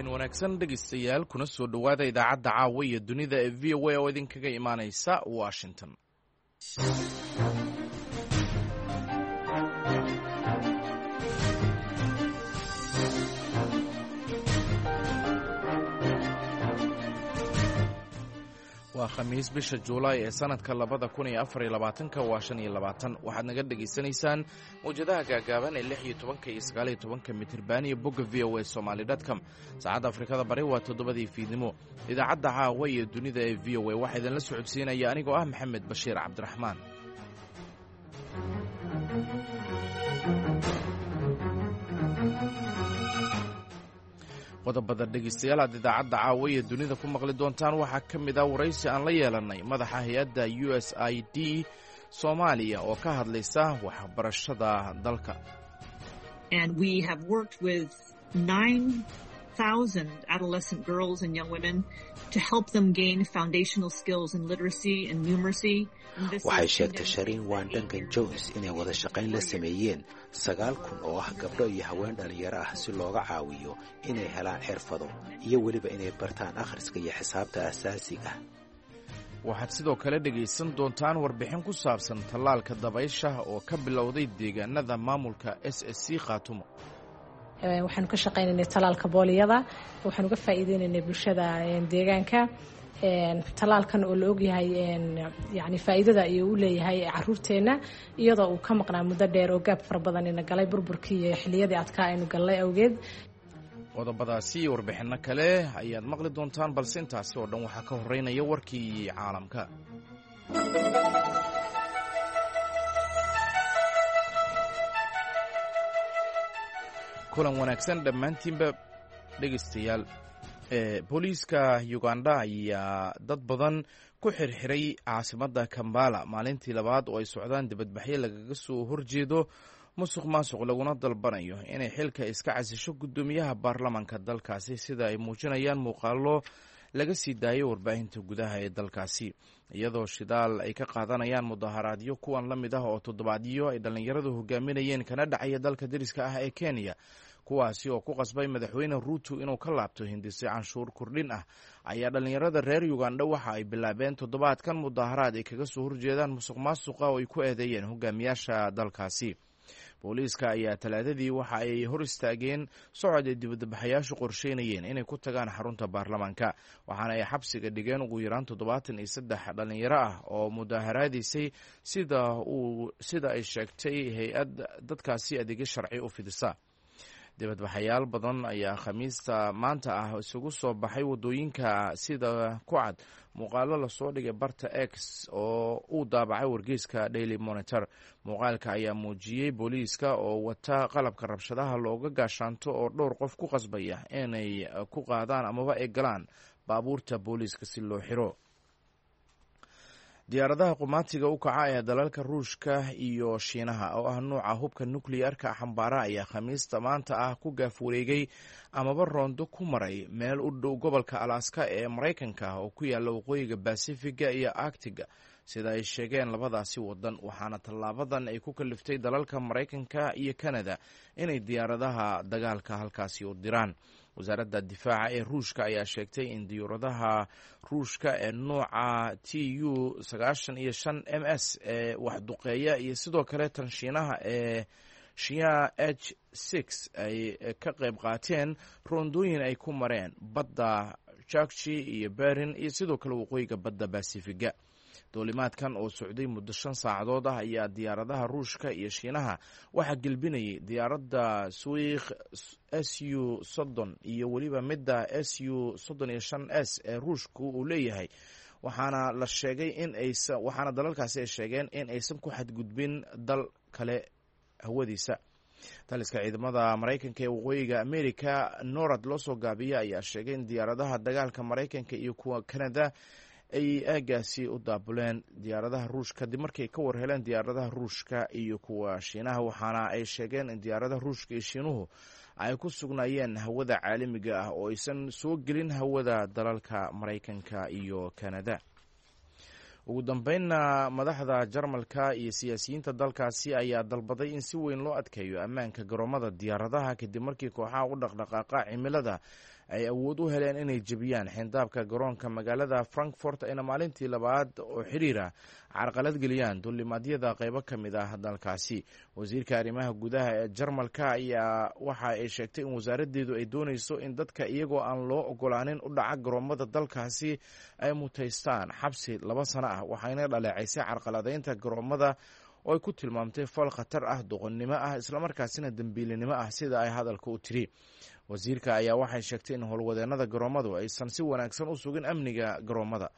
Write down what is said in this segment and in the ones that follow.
Habeen wanaagsan, dhegeystayaal, kuna soo dhowaada idaacadda caawa iyo dunida ee VOA oo idinkaga imaaneysa Washington. Waa Khamiis, bisha Juulaay ee sanadka 2024-ka waa 25. Waxaad naga dhegaysanaysaan mawjadaha gaagaaban ee 16-ka iyo 19-ka mitirban iyo bogga VOA Somali com. Saacadda Afrikada Bari waa 7-dii fiidnimo. Idaacadda caawa iyo dunida ee VOA waxaa idinla socodsiinaya anigoo ah Maxamed Bashiir Cabdiraxmaan. Qodobada, dhegeystayaal, aad idaacadda caawa iyo dunida ku maqli doontaan waxaa ka mid ah waraysi aan la yeelannay madaxa hay-adda USAID Soomaaliya oo ka hadlaysa waxbarashada dalka. And we have worked with 9,000 adolescent girls and young women to help them gain foundational skills in literacy and numeracy. Waxay sheegtay Shariin Waan Duncan Jones inay wada shaqayn la sameeyeen 9,000 oo ah gabdho iyo haween dhallinyaro ah si looga caawiyo inay helaan xirfado iyo weliba inay bartaan akhriska iyo xisaabta asaasiga. Waxaad sidoo kale dhegaysan doontaan warbixin ku saabsan tallaalka dabaysha oo ka bilowday deegaanada maamulka SSC Khaatumo. Waxaanu ka shaqaynaynay tallaalka booliyada. Waxaanu uga faa'iideynaynay bulshada deegaanka tallaalkan oo la ogyahay yani faa'iidada ayuu u leeyahay caruurteenna, iyadoo uu ka maqnaa muddo dheer oo gaab fara badan ina galay burburkii iyo xilliyadii adkaa aynu gallay awgeed. Qodobadaasi iyo warbixinno kale ayaad maqli doontaan, balse intaasi oo dhan waxaa ka horeynaya warkii caalamka. Kulan wanaagsan dhammaantiinba, dhegaystayaal. Booliiska Uganda ayaa dad badan ku xirxiray caasimadda Kambala maalintii labaad oo ay socdaan dibadbaxyo lagaga soo horjeedo musuq maasuq, laguna dalbanayo inay xilka iska casisho guddoomiyaha baarlamaanka dalkaasi, sida ay muujinayaan muuqaalo laga sii daayay warbaahinta gudaha ee dalkaasi, iyadoo shidaal ay ka qaadanayaan mudaharaadyo kuwan la mid ah oo toddobaadyo ay dhallinyaradu hogaaminayeen kana dhacaya dalka deriska ah ee Kenya, kuwaasi oo ku qasbay Madaxweyne Ruuto inuu ka laabto hindise canshuur kordhin ah, ayaa dhallinyarada reer Uganda waxa ay bilaabeen toddobaadkan mudaharaad ay kaga soo horjeedaan musuq maasuqa oo ay ku eedeeyeen hogaamiyaasha dalkaasi. Booliiska ayaa Talaadadii waxa ay hor istaageen socod ay dibadbaxayaashu qorsheynayeen inay ku tagaan xarunta baarlamaanka, waxaana ay xabsiga dhigeen ugu yaraan 73 dhallinyaro ah oo mudaaharaadaysay, sida ay sheegtay hay-ad dadkaasi adeegyo sharci u fidisa. Dibadbaxayaal badan ayaa Khamiista maanta ah isugu soo baxay waddooyinka, sida ku cad muuqaalo lasoo dhigay barta X oo uu daabacay wargeyska Daily Monitor. Muuqaalka ayaa muujiyey booliiska oo wata qalabka rabshadaha looga gaashaanto oo dhowr qof ku qasbaya inay ku qaadaan amaba ay galaan baabuurta booliiska si loo xiro. Diyaaradaha qumaatiga u kaca ee dalalka Ruushka iyo Shiinaha oo ah nuuca hubka nukliyarka xambaara ayaa Khamiista maanta ah ku gaaf wareegay amaba roondo ku maray meel u dhow gobolka Alaska ee Maraykanka oo ku yaala waqooyiga Basifiga iyo Arctiga, sida ay sheegeen labadaasi wadan, waxaana tallaabadan ay ku kaliftay dalalka Maraykanka iyo Kanada inay diyaaradaha dagaalka halkaasi u diraan. Wasaaradda difaaca ee Ruushka ayaa sheegtay in diyuuradaha Ruushka ee nuuca Tu 95 MS ee waxduqeeya iyo sidoo kale tan Shiinaha ee Shiya H6 ay ka qayb qaateen roondooyin ay ku mareen badda Chukchi iyo Berin iyo sidoo kale waqooyiga badda Basifiga. Duulimaadkan oo socday muddo 5 saacadood ah ayaa diyaaradaha Ruushka iyo Shiinaha waxaa gelbinayay diyaaradda Suikh Su 30 iyo weliba midda Su 35 S ee Ruushku uu leeyahay, waxaana la sheegay in aysa waxaana dalalkaasi ay sheegeen in aysan ku xadgudbin dal kale hawadiisa. Taliska ciidamada Maraykanka ee waqooyiga America, NORAD loo soo gaabiya, ayaa sheegay in diyaaradaha dagaalka Maraykanka iyo kuwa Canada ay aagaasi u daabuleen diyaaradaha Ruushka kadib markay ka war heleen diyaaradaha Ruushka iyo kuwa Shiinaha, waxaana ay sheegeen in diyaaradaha Ruushka iyo Shiinuhu ay ku sugnaayeen hawada caalamiga ah oo aysan soo gelin hawada dalalka Maraykanka iyo Kanada. Ugu dambeynna, madaxda Jarmalka iyo siyaasiyiinta dalkaasi ayaa dalbaday in si weyn loo adkeeyo ammaanka garoomada diyaaradaha, kadib markii kooxaha u dhaqdhaqaaqa cimilada ay awood u heleen inay jebiyaan xindaabka garoonka magaalada Frankfort, ayna maalintii labaad oo xiriira carqalad geliyaan duulimaadyada qeybo ka mid ah dalkaasi. Wasiirka arrimaha gudaha ee Jarmalka ayaa waxa ay sheegtay in wasaaraddeedu ay dooneyso in dadka iyagoo aan loo ogolaanin u dhaca garoomada dalkaasi ay mutaystaan xabsi 2 sano ah, waxayna dhaleecaysay carqaladeynta garoomada oo ay ku tilmaamtay fal khatar ah, doqonnimo ah, islamarkaasina dembiilinimo ah, sida ay hadalka u tiri. Wasiirka ayaa waxay sheegtay in howlwadeennada garoomadu aysan si wanaagsan u sugin amniga garoomada.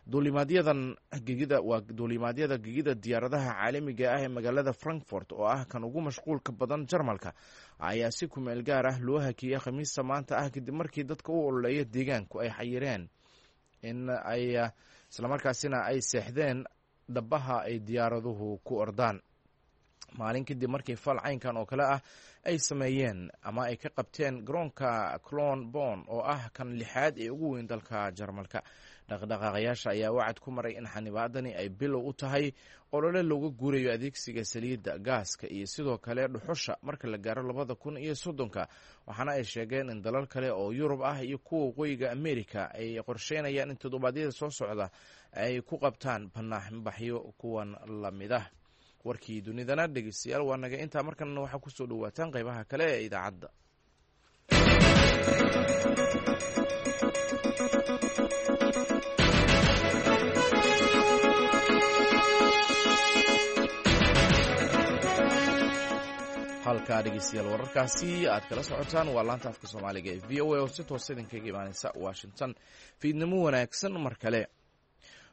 Duulimaadyadan gegida waa duulimaadyada gegida diyaaradaha caalamiga ah ee magaalada Frankfort, oo ah kan ugu mashquulka badan Jarmalka, ayaa si kumeel gaar ah loo hakiyey Khamiista maanta ah, kadib markii dadka u ololeeya deegaanku ay xayireen in ay islamarkaasina ay seexdeen dhabaha ay diyaaraduhu ku ordaan, maalin kadib markii fal caynkan oo kale ah ay sameeyeen ama ay ka qabteen garoonka Clon Bon, oo ah kan lixaad ee ugu weyn dalka Jarmalka. Dhaqdhaqaaqayaasha ayaa wacad ku maray in xanibaadani ay bilow u tahay olole looga guurayo adeegsiga saliidda, gaaska iyo sidoo kale dhuxusha marka la gaaro 2030-ka, waxaana ay sheegeen in dalal kale oo Yurub ah iyo kuwa waqooyiga Amerika ay qorsheynayaan in toddobaadyada soo socda ay ku qabtaan banaaxbaxyo kuwan lamid ah. Warkii dunidana, dhegeystayaal, waa naga intaa. Markanna waxaa kusoo dhawaataan qeybaha kale ee idaacadda. Halkaa, dhegeystayaal, wararkaasi aad kala socotaan waa laanta afka Soomaaliga ee VOA oo si toosa idinkaga imaaneysa Washington. Fiidnimo wanaagsan mar kale.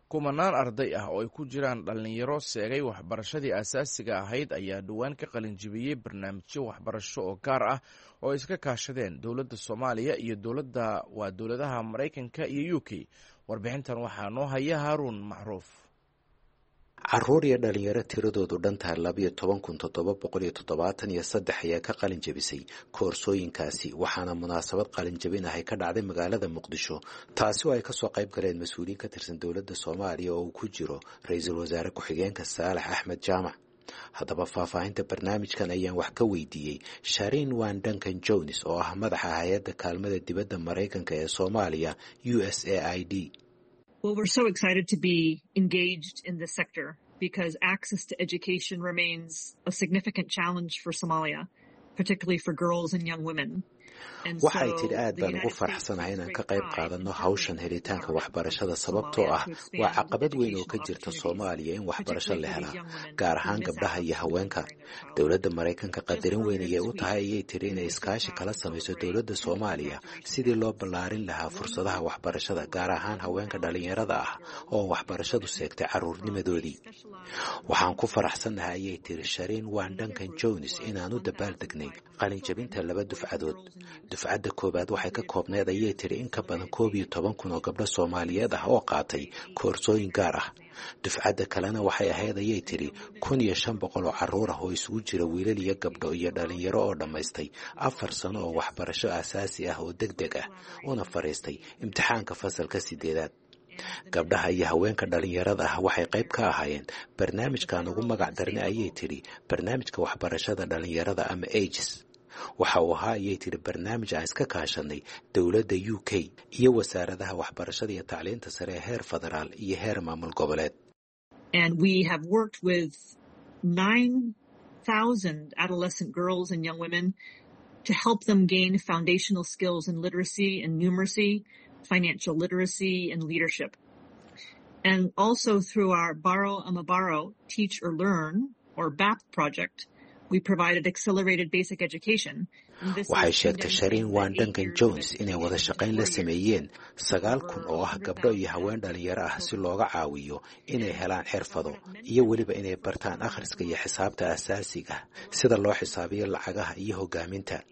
Kumanaan arday ah oo ay ku jiraan dhallinyaro seegay waxbarashadii asaasiga ahayd ayaa dhowaan ka qalinjibiyey barnaamijyo waxbarasho oo gaar ah oo ay iska kaashadeen dowladda Soomaaliya iyo dowladda waa dowladaha Maraykanka iyo UK. Warbixintan waxaa noo haya Haaruun Macruuf. Caruur iyo dhalinyaro tiradoodu dhantahay 12,773 ayaa ka qalin jebisay koorsooyinkaasi, waxaana munaasabad qalin jebin ahay ka dhacday magaalada Muqdisho, taasi oo ay kasoo qayb galeen mas-uuliyiin ka tirsan dowladda Soomaaliya oo uu ku jiro ra-iisul wasaare ku-xigeenka Saalax Axmed Jaamac. Haddaba faahfaahinta barnaamijkan ayaan wax ka weydiiyey Shariin Wan Duncan Jones, oo ah madaxa hay-adda kaalmada dibadda Maraykanka ee Soomaaliya, USAID. Well, we're so excited to be engaged in this sector because access to education remains a significant challenge for Somalia, particularly for girls and young women. Waxay tidhi, aad baan ugu faraxsanahay inaan ka qayb qaadanno hawshan helitaanka waxbarashada, sababtoo ah waa caqabad weyn oo ka jirta Soomaaliya in waxbarasho la helaa, gaar ahaan gabdhaha iyo haweenka. Dowladda Maraykanka qadarin weyn ayay u tahay, ayay tidhi, inay iskaashi kala samayso dowladda Soomaaliya sidii loo ballaarin lahaa fursadaha waxbarashada, gaar ahaan haweenka dhallinyarada ah oo waxbarashadu seegtay carruurnimadoodii. Waxaan ku faraxsannahay, ayay tidhi Shariin Wan Duncan Jones, inaan u dabaaldegnay qalinjabinta laba dufcadood. Dufcadda koowaad waxay ka koobneed, ayay tidhi, in ka badan 11,000 oo gabdho Soomaaliyeed ah oo qaatay koorsooyin gaar ah. Dufcadda kalena waxay ahayd, ayay tidhi, 1,500 oo carruur ah oo isugu jira wiilal iyo gabdho iyo dhalinyaro oo dhammaystay 4 sano oo waxbarasho aasaasi ah oo deg deg ah, una fadhiistay imtixaanka fasalka sideedaad. Gabdhaha iyo haweenka dhalinyarada ah waxay qayb ka ahaayeen barnaamijkan ugu magac darnay, ayay tidhi, barnaamijka waxbarashada dhalinyarada ama AGES. Waxa uu ahaa, ayay tidhi, barnaamij aan iska kaashanay dowladda UK iyo wasaaradaha waxbarashada iyo tacliinta sare ee heer federaal iyo heer maamul goboleed. And we have worked with 9,000 adolescent girls and young women to help them gain foundational skills in literacy and numeracy, financial literacy, and leadership. And also through our Borrow Amabaro Teach or Learn, or BAP project, we provided accelerated basic education. Waxay sheegtay Shariin Wan Duncan Jones inay wada shaqayn la sameeyeen 9,000 oo ah gabdho iyo haween dhalinyaro ah si looga caawiyo inay helaan xirfado iyo weliba inay bartaan akhriska iyo xisaabta asaasiga, sida loo xisaabiyo lacagaha iyo hogaaminta.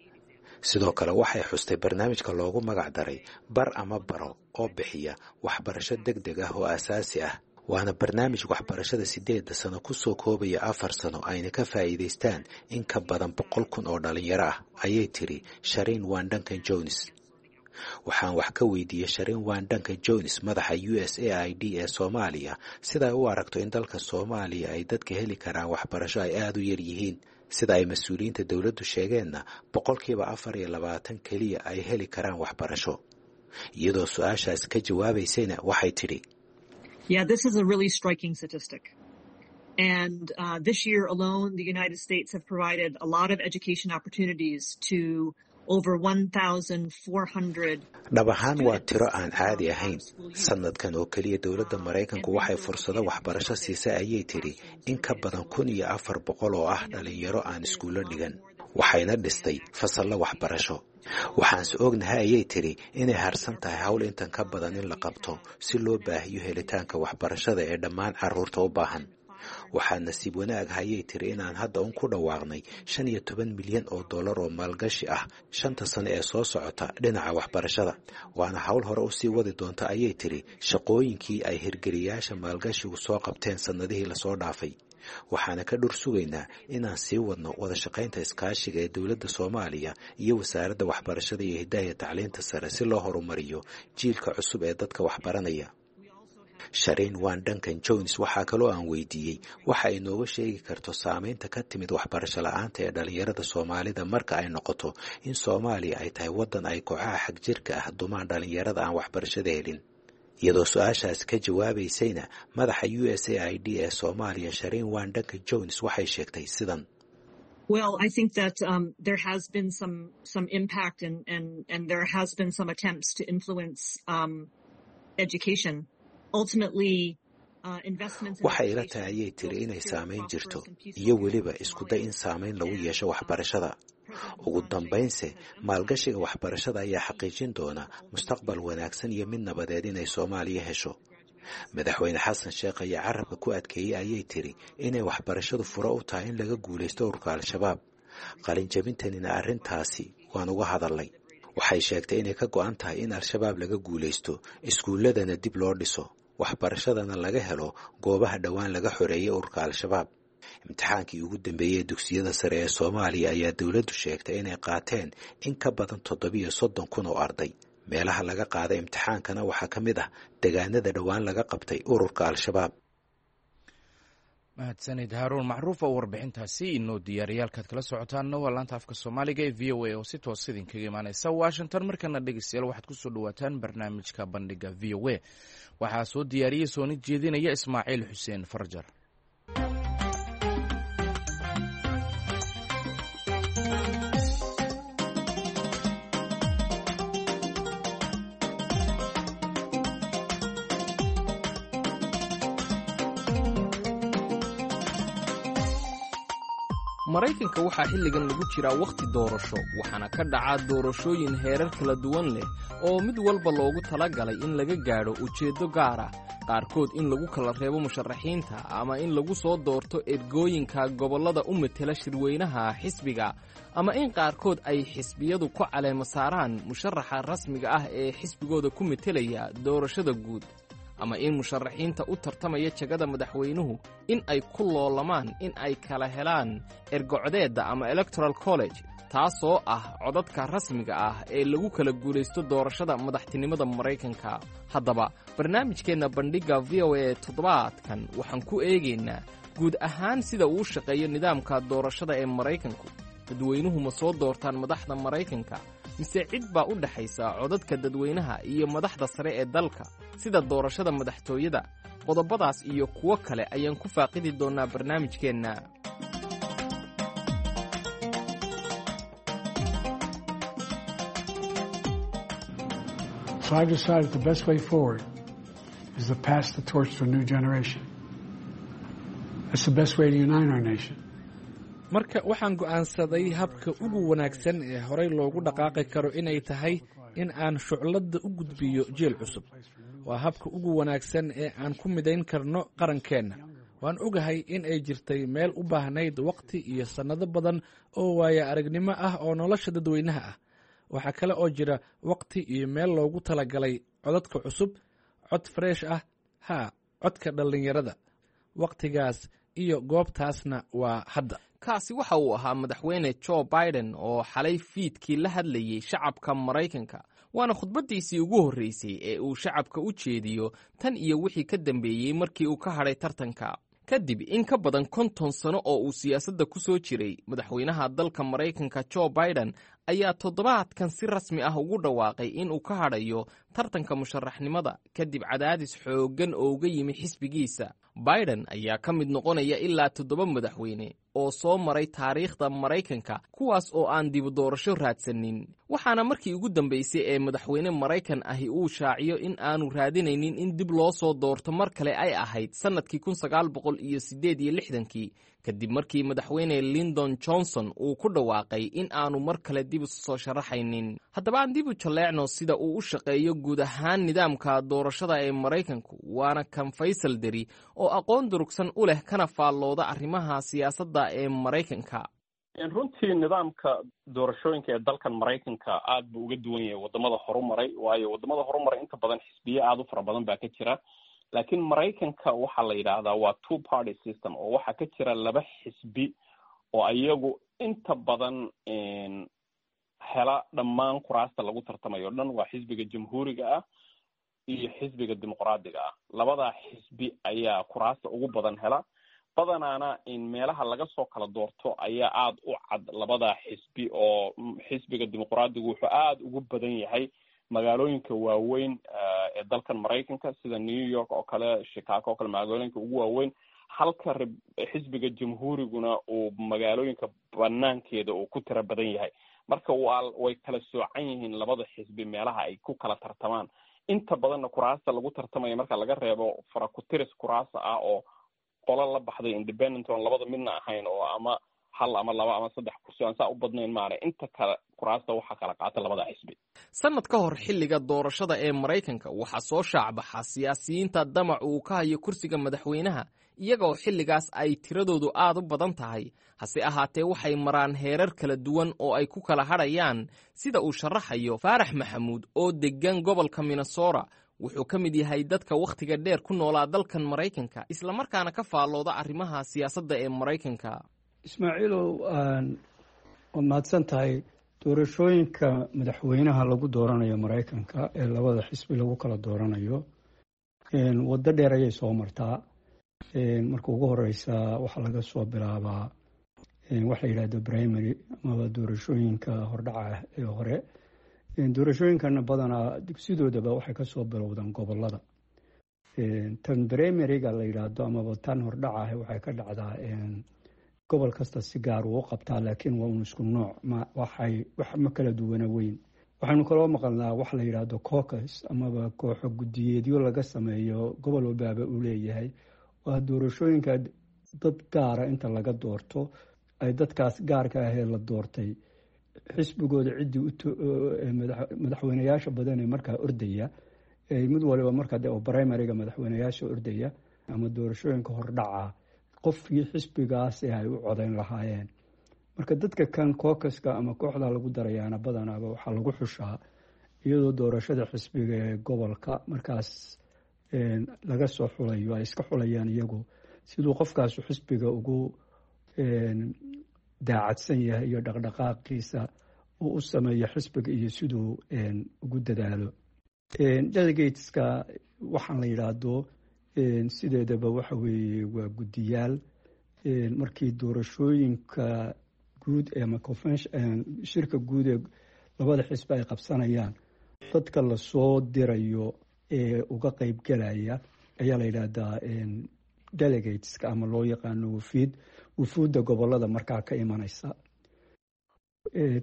Sidoo kale waxay xustay barnaamijka loogu magac daray Bar ama Baro oo bixiya waxbarasho deg deg ah oo asaasi ah, waana barnaamij waxbarashada 8-da sano ku soo koobaya 4 sano, ayna ka faa'iidaystaan in ka badan 100,000 oo dhalinyaro ah, ayay tidhi Shariin Wan Duncan Jones. Waxaan wax ka weydiiyey Sharin Waan Duncan Jones, madaxa USAID ee Soomaaliya, sida ay u aragto in dalka Soomaaliya ay dadka heli karaan waxbarasho ay aada u yar yihiin, sida ay mas-uuliyiinta dowladdu sheegeenna 24% keliya ay heli karaan waxbarasho. Iyadoo su-aashaas ka jawaabaysayna waxay tidhi: Yeah, this is a really striking statistic. And this year alone, the United States have provided a lot of education opportunities to over 1,400. Dhab ahaan waa tiro aan caadi ahayn. Sanadkan oo keliya dowladda Maraykanku waxay fursado waxbarasho siisay, ayay tidhi, in ka badan 1,400 oo ah dhalinyaro aan iskuullo dhigan, waxayna dhistay fasallo waxbarasho. Waxaanse ognahay, ayay tidhi, inay harsan tahay hawl intan ka badan in la qabto si loo baahiyo helitaanka waxbarashada ee dhammaan carruurta u baahan. Waxaa nasiib wanaag, ayay tiri, inaan hadda un ku dhawaaqnay 15 milyan oo dollar oo maalgashi ah 5ta sano ee soo socota dhinaca waxbarashada, waana hawl hore usii wadi doonta, ayay tiri, shaqooyinkii ay hirgeliyaasha maalgashigu soo qabteen sannadihii lasoo dhaafay. Waxaana ka dhur sugaynaa inaan sii wadno wada shaqaynta iskaashiga ee dowladda Soomaaliya iyo wasaaradda waxbarashada iyo hidaha tacliinta sare si loo horumariyo jiilka cusub ee dadka waxbaranaya. Shariin Waan Duncan Jones waxaa kaloo aan weydiiyey waxa ay nooga sheegi karto saameynta ka timid waxbarasho la-aanta ee dhalinyarada Soomaalida marka ay noqoto in Soomaaliya ay tahay waddan ay kooxaha xagjirka ah dumaan dhalinyarada aan waxbarashada helin. Iyadoo su-aashaas ka jawaabaysayna, madaxa USAID ee Soomaaliya Shariin Waan Duncan Jones waxay sheegtay sidan: Well, I think that there has been some impact and there has been some attempts to influence education. Ultimately, Waxay ila tahay, ayay tiri, inay saamayn jirto iyo weliba isku day in saamayn lagu yeesho waxbarashada. Ugu dambaynse, maalgashiga waxbarashada ayaa xaqiijin doona mustaqbal wanaagsan iyo mid nabadeed inay Soomaaliya hesho. Madaxweyne Xasan Sheekh ayaa carabka ku adkeeyey, ayay tiri, inay waxbarashadu furo u tahay in laga guulaysto ururka Al-Shabaab. Qalinjabintanina arrintaasi waan uga hadalnay. Waxay sheegtay inay ka go'an tahay in Al-Shabaab laga guulaysto, iskuulladana dib loo dhiso, waxbarashadana laga helo goobaha dhowaan laga xoreeyey ururka Al-Shabaab. Imtixaankii ugu dambeeyey ee dugsiyada sare ee Soomaaliya ayaa dowladdu sheegtay inay qaateen in ka badan 37,000 oo arday. Meelaha laga qaaday imtixaankana waxaa ka mid ah degaanada dhowaan laga qabtay ururka Al-Shabaab. Mahadsanid Haaruun Macruuf oo warbixintaasi inoo diyaariyaalkaad kala socotaanna waa laanta afka Soomaaliga ee VOA oo si toos idinkaga imaaneysa Washington. Markana dhegeystayaal, waxaad kusoo dhawaataan barnaamijka Bandhiga VOA. Waxaa soo diyaariyey soona jeedinaya Ismaaciil Xuseen Farjar. Maraykanka waxaa xilligan lagu jiraa wakhti doorasho, waxaana ka dhacaa doorashooyin heerar kala duwan leh oo mid walba loogu talagalay in laga gaadho ujeeddo gaar ah, qaarkood in lagu kala reebo musharaxiinta ama in lagu soo doorto ergooyinka gobollada u metela shirweynaha xisbiga, ama in qaarkood ay xisbiyadu ku caleemo saaraan musharaxa rasmiga ah ee xisbigooda ku metelaya doorashada guud, ama in musharaxiinta u tartamaya jagada madaxweynuhu in ay ku loolamaan in ay kala helaan ergocdeedda ama Electoral College, taasoo ah codadka rasmiga ah ee lagu kala guulaysto doorashada madaxtinimada Maraykanka. Haddaba, barnaamijkeenna Bandhigga VOA toddobaadkan waxaan ku eegaynaa guud ahaan sida uu shaqeeyo nidaamka doorashada ee Maraykanku. Dadweynuhu ma soo doortaan madaxda Maraykanka, mise cid baa u dhexaysa codadka dadweynaha iyo madaxda sare ee dalka, sida doorashada madaxtooyada? Qodobadaas iyo kuwo kale ayaan ku faaqidi doonnaa barnaamijkeenna. So I've decided the best way forward is to pass the torch to a new generation. That's the best way to unite our nation. Marka waxaan go'aansaday habka ugu wanaagsan ee horey loogu dhaqaaqi karo inay tahay in aan shucladda u gudbiyo jiil cusub. Waa habka ugu wanaagsan ee aan ku midayn karno qarankeenna. Waan ogahay in ay jirtay meel u baahnayd waqti iyo sannado badan oo waaya aragnimo ah oo nolosha dadweynaha ah. Waxaa kale oo jira waqti iyo meel loogu talagalay codadka cusub, cod fresh ah, haa, codka dhallinyarada. Waqtigaas iyo goobtaasna waa hadda. Kaasi waxa uu ahaa Madaxweyne Joe Biden oo xalay fiidkii la hadlayey shacabka Maraykanka. Waana khudbaddiisii ugu horreysay ee uu shacabka u jeediyo tan iyo wixii ka dambeeyey markii uu ka hadhay tartanka. Kadib in ka badan 50 sano oo uu siyaasadda ku soo jiray, madaxweynaha dalka Maraykanka Joe Biden ayaa toddobaadkan si rasmi ah ugu dhawaaqay inuu ka hadhayo tartanka musharaxnimada kadib cadaadis xooggan oo uga yimi xisbigiisa. Biden ayaa ka mid noqonaya ilaa toddoba madaxweyne oo soo maray taariikhda Maraykanka, kuwaas oo aan dibu doorasho raadsanin, waxaana markii ugu dambeysay ee madaxweyne Maraykan ahi uu shaaciyo in aanu raadinaynin in dib loo soo doorto mar kale ay ahayd sannadkii 1968-kii, kadib markii madaxweyne Lindon Johnson uu ku dhawaaqay in aanu mar kale dib isu soo sharaxaynin. Haddaba aan dib u jalleecno sida uu u shaqeeyo guud ahaan nidaamka doorashada ee Maraykanku, waana kan Faysal Deri oo aqoon durugsan u leh kana faallooda arrimaha siyaasadda ee Maraykanka. Runtii nidaamka doorashooyinka ee dalkan Maraykanka aad buu uga duwan yahay wadamada horumaray, waayo wadamada horumaray inta badan xisbiye aada u fara badan baa ka jira, laakiin Maraykanka waxaa la yidhaahdaa waa two party system, oo waxaa ka jira laba xisbi oo iyagu inta badan hela dhammaan kuraasta lagu tartamayo o dhan. Waa xisbiga Jamhuuriga ah iyo xisbiga Dimuqraadiga ah. Labadaa xisbi ayaa kuraasta ugu badan hela, badanaana meelaha laga soo kala doorto ayaa aada u cad labadaa xisbi, oo xisbiga Dimuqraadigu wuxuu aada ugu badan yahay magaalooyinka waaweyn ee dalkan Maraykanka, sida New York oo kale, Chicago oo kale, magaalooyinka ugu waaweyn, halka xisbiga Jamhuuriguna uu magaalooyinka banaankeeda uu ku tiro badan yahay. Marka waa way kala soocan yihiin labada xisbi meelaha ay ku kala tartamaan. Inta badanna kuraasta lagu tartamaya, marka laga reebo faraku-tiris kuraasa ah oo qolo la baxday independent oon labada midna ahayn, oo ama hal ama laba ama saddex kursi aan saa u badnayn maana, inta kale kuraasta waxaa kala qaata labada xisbi. Sannad ka hor xilliga doorashada ee Maraykanka waxaa soo shaacbaxa siyaasiyiinta damac uu ka hayo kursiga madaxweynaha, iyagoo xilligaas ay tiradoodu aad u badan tahay. Hase ahaatee waxay maraan heerar kala duwan oo ay ku kala hadhayaan, sida uu sharaxayo Faarax Maxamuud oo deggan gobolka Minnesota. Wuxuu ka mid yahay dadka wakhtiga dheer ku noolaa dalkan Maraykanka, islamarkaana ka faallooda arrimaha siyaasadda ee Maraykanka. Ismaaciilow, waad mahadsan tahay. Doorashooyinka madaxweynaha lagu dooranayo Maraykanka ee labada xisbi lagu kala dooranayo waddo dheer ayay soo martaa. Marka ugu horeysa waxaa laga soo bilaabaa waxa la yidhahdo primary amaba doorashooyinka hordhaca ee hore. Doorashooyinkana badanaa dugsidoodaba waxay kasoo bilowdaan gobolada. Tan primaryga la yidhaahdo amaba tan hordhaca waxay ka dhacdaa gobol kasta si gaar uu u qabtaa, laakiin waa un isku nooc, waxay wax ma kala duwana weyn. Waxaynu kaloo maqalnaa wax la yidhaahdo caucus amaba kooxo guddiyeedyo laga sameeyo gobol walbaaba uu leeyahay. Waa doorashooyinka dad gaara inta laga doorto ay dadkaas gaarka ahee la doortay xisbigooda ciddii madaxweyneyaasha badan ee markaa ordaya, mid waliba markaa de primaryga madaxweyneyaasha ordaya ama doorashooyinka hordhaca, qofkii xisbigaasi ay u codayn lahaayeen. Marka dadka kan caucuska ama kooxda lagu darayaana badanaaba waxaa lagu xushaa iyadoo doorashada xisbiga ee gobolka markaas laga soo xulayo, ay iska xulayaan iyagu siduu qofkaasu xisbiga ugu daacadsan yahay iyo dhaqdhaqaaqiisa uu u sameeyo xisbiga iyo siduu ugu dadaalo. Delegateska waxaan la yidhaahdo sideedaba waxa weeye waa guddiyaal markii doorashooyinka guud ama shirka guud ee labada xisbi ay qabsanayaan dadka lasoo dirayo ee uga qeybgelaya ayaa la yidhaahdaa delegateska, ama loo yaqaano wafiid, wufuudda gobolada markaa ka imanaysa.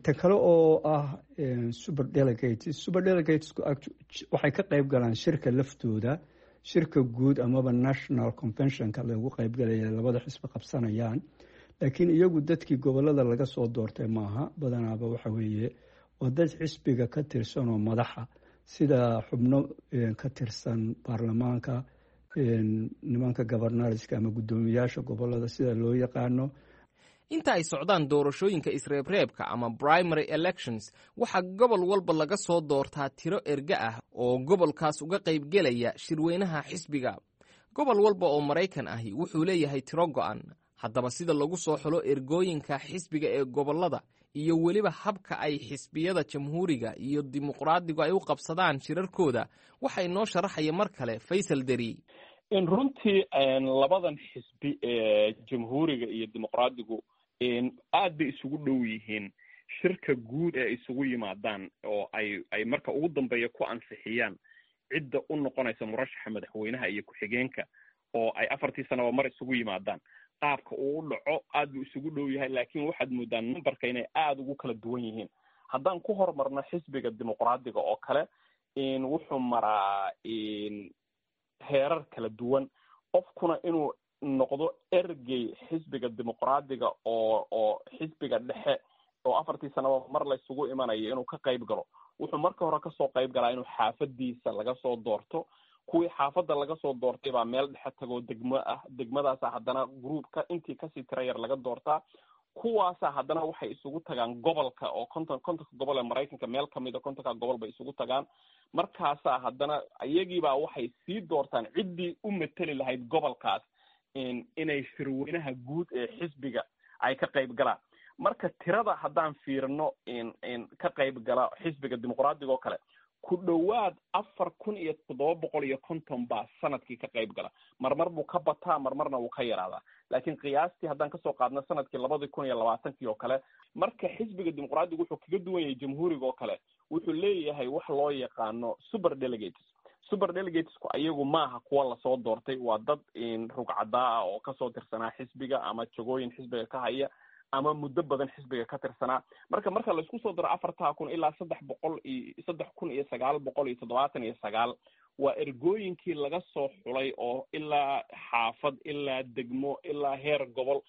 Tan kale oo ah super delegates, super delegates waxay ka qeyb galaan shirka laftooda, shirka guud amaba national conventionka lagu qeybgalaya labada xisbi qabsanayaan, laakiin iyagu dadkii gobolada laga soo doortay maaha. Badanaaba waxa weeye waa dad xisbiga ka tirsan oo madaxa, sida xubno ka tirsan baarlamaanka, nimanka governorska ama guddoomiyaasha gobolada sida loo yaqaano. Inta ay socdaan doorashooyinka isreebreebka ama primary elections, waxaa gobol walba laga soo doortaa tiro erge ah oo gobolkaas uga qaybgelaya shirweynaha xisbiga. Gobol walba oo Maraykan ahi wuxuu leeyahay tiro go'an. Haddaba sida lagu soo xulo ergooyinka xisbiga ee gobollada iyo weliba habka ay xisbiyada Jamhuuriga iyo Dimuqraadigu ay u qabsadaan shirarkooda, waxa inoo sharaxaya mar kale Faysal Deri. Runtii labadan xisbi ee Jamhuuriga iyo Dimuqraadigu aad bay isugu dhow yihiin. Shirka guud ee isugu yimaadaan oo ay marka ugu dambeeya ku ansixiyaan cidda u noqonaysa murashaxa madaxweynaha iyo ku-xigeenka, oo ay 4tii sanaba mar isugu yimaadaan, qaabka uu u dhaco aad buu isugu dhow yahay, laakiin waxaad moodaa numberka inay aada ugu kala duwan yihiin. Haddaan ku horumarno xisbiga Dimuqraadiga oo kale, wuxuu maraa heerar kala duwan. Qofkuna inuu noqdo ergey xisbiga Dimuqraadiga oo xisbiga dhexe oo 4tii sanaba mar laysugu imanayo inuu ka qayb galo, wuxuu marka hore kasoo qayb galaa inuu xaafadiisa laga soo doorto. Kuwii xaafadda laga soo doortay baa meel dhexe tagoo degmo ah. Degmadaasa haddana groupka intii kasii tira yar laga doortaa. Kuwaasa haddana waxay isugu tagaan gobolka, oo 50ka gobol ee Maraykanka meel kamida, 50ka gobol bay isugu tagaan. Markaasaa haddana iyagiibaa waxay sii doortaan ciddii u mateli lahayd gobolkaas inay shirweynaha guud ee xisbiga ay ka qayb galaan. Marka tirada haddaan fiirino ka qayb gala xisbiga Dimuqraadiga oo kale, ku dhowaad 4750 baa sanadkii ka qayb gala. Marmar buu ka bataa, marmarna wuu ka yaraadaa, laakiin qiyaastii haddaan kasoo qaadno sanadkii 2020kii oo kale. Marka xisbiga Dimuqraadigu wuxuu kaga duwan yahay Jamhuuriga oo kale, wuxuu leeyahay wax loo yaqaano super delegates. Super delegatesku ayagu maaha kuwa lasoo doortay, waa dad rugcadaa ah oo kasoo tirsanaa xisbiga ama jagooyin xisbiga ka haya ama muddo badan xisbiga ka tirsanaa. Marka laisku soo daro 4000 ilaa 300 iyo 3979 waa ergooyinkii laga soo xulay oo ilaa xaafad, ilaa degmo, ilaa heer gobol,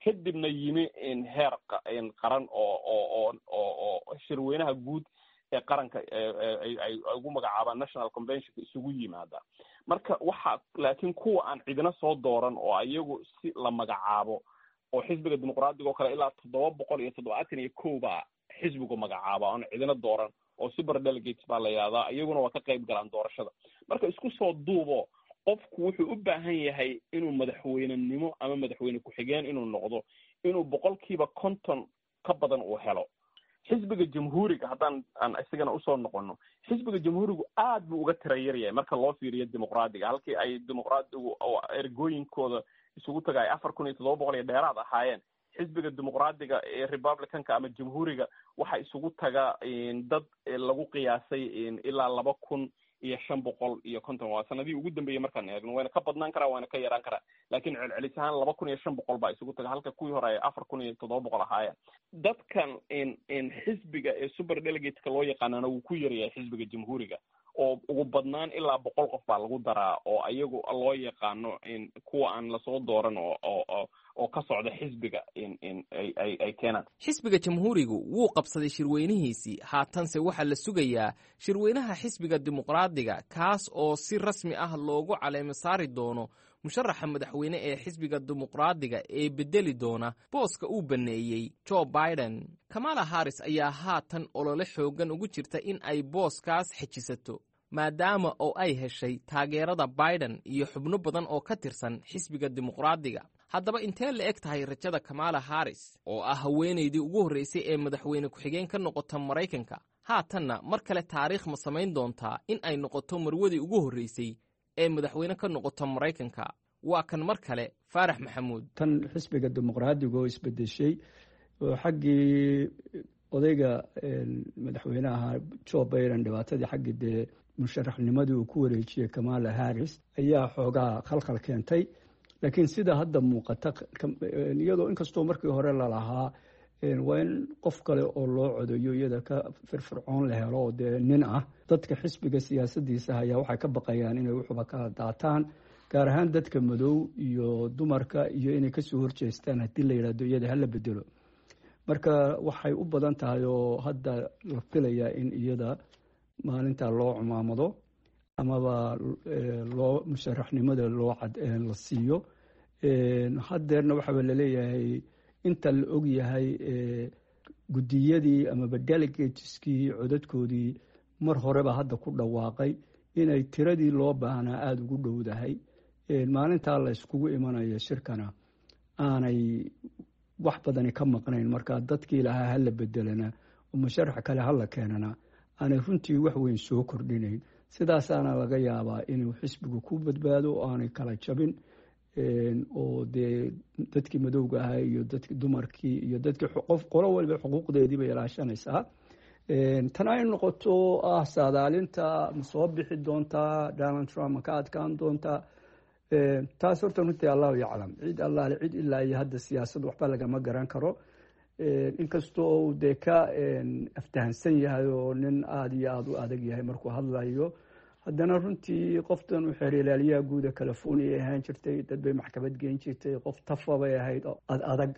kadibna yimi heer qaran oo shirweynaha guud ee qaranka ay ugu magacaabaan national conventionka isugu yimaada. Marka waxa laakiin kuwa aan cidina soo dooran oo iyagu si la magacaabo oo xisbiga Dimuqraadiga oo kale ilaa 771 baa xisbigu magacaaba oon cidina dooran, oo super delegates baa la yihahdaa, iyaguna waa ka qayb galaan doorashada. Marka isku soo duubo, qofku wuxuu u baahan yahay inuu madaxweynenimo ama madaxweyne ku-xigeen inuu noqdo inuu 50% ka badan uu helo. Xisbiga Jamhuuriga haddaan aan isagana usoo noqono, xisbiga Jamhuurigu aad buu uga tira yaryahay marka loo fiiriyo Dimuqraadiga. Halkii ay Dimuqraadigu oo ergooyinkooda isugu taga ay 4700 iyo dheeraad ahaayeen, xisbiga Dimuqraadiga ee Republicanka ama Jamhuuriga waxaa isugu taga dad lagu qiyaasay ilaa 2550. Waa sanadihii ugu dambeeyey markaan eegno, wayna ka badnaan karaa, wayna ka yaraan karaa, laakiin celcelis ahaan 2500 baa isugu taga, halka kuwii hore ay 4700 ahaayeen. Dadkan xisbiga ee super delegateska loo yaqaanana wuu ku yaryahay xisbiga Jamhuuriga, oo ugu badnaan ilaa 100 qof baa lagu daraa oo iyagu loo yaqaano kuwa aan lasoo dooran oo ka socda xisbiga ay keenaan. Xisbiga Jamhuurigu wuu qabsaday shirweynihiisii, haatanse waxaa la sugayaa shirweynaha xisbiga Dimuqraadiga, kaas oo si rasmi ah loogu caleemo saari doono musharaxa madaxweyne ee xisbiga Dimuqraadiga ee bedeli doona booska uu banneeyey Joe Biden. Kamala Harris ayaa haatan olole xooggan ugu jirta in ay booskaas xejisato, maadaama oo ay heshay taageerada Biden iyo xubno badan oo ka tirsan xisbiga Dimuqraadiga. Haddaba intee la eg tahay rajada Kamala Harris, oo ah haweenaydii ugu horreysay ee madaxweyne ku-xigeen ka noqota Maraykanka? Haatanna mar kale taariikh ma samayn doontaa in ay noqoto marwadii ugu horreysay ee madaxweyne ka noqota Maraykanka? Waa kan mar kale Faarax Maxamuud. Tan xisbiga Dimuqraadiga oo isbedeshay oo xaggii odayga madaxweynaha Joe Biden dhibaatadii xaggii dee musharaxnimadii uu ku wareejiyey Kamala Harris ayaa xoogaa khalkhal keentay. Laakiin sida hadda muuqata, iyadoo inkastoo markii hore lalahaa waa in qof kale oo loo codeeyo iyada ka firfircoon la helo oo dee nin ah, dadka xisbiga siyaasadiisa hayaa waxay ka baqayaan inay wuxuba kala daataan, gaar ahaan dadka madow iyo dumarka, iyo inay kasoo horjeestaan haddii la yidhahdo iyada hala bedelo. Marka waxay u badan tahay oo hadda la filayaa in iyada maalinta loo cumaamado amaba loo musharaxnimada loo la siiyo. Haddeerna waxaaba laleeyahay inta la og yahay guddiyadii amaba delegateskii codadkoodii mar horeba hadda ku dhawaaqay inay tiradii loo baahnaa aada ugu dhowdahay. Maalintaa la iskugu imanayo shirkana aanay wax badani ka maqnayn. Marka dadkii lahaa hala bedelana oo musharax kale hala keenana aanay runtii wax weyn soo kordhinayn. Sidaasaana laga yaabaa inuu xisbigu ku badbaado oo aanay kala jabin, oo dee dadkii madowga ahaa iyo dadki dumarkii iyo dadkii qof qolo waliba xuquuqdeedii bay ilaashanaysaa. Tan ay noqoto ah saadaalinta ma soo bixi doontaa Donald Trump, ma ka adkaan doontaa, taas horta runtii Allahu yaclam. Cid allaale cid ilaa iyo hadda siyaasad waxba lagama garan karo, inkastoo uu dee ka aftahansan yahay oo nin aada iyo aada u adag yahay markuu hadlayo, haddana runtii qoftan u xeer ilaaliyaha guuda California ay ahaan jirtay, dad bay maxkamad geyn jirtay, qof tafa bay ahayd oo ad adag.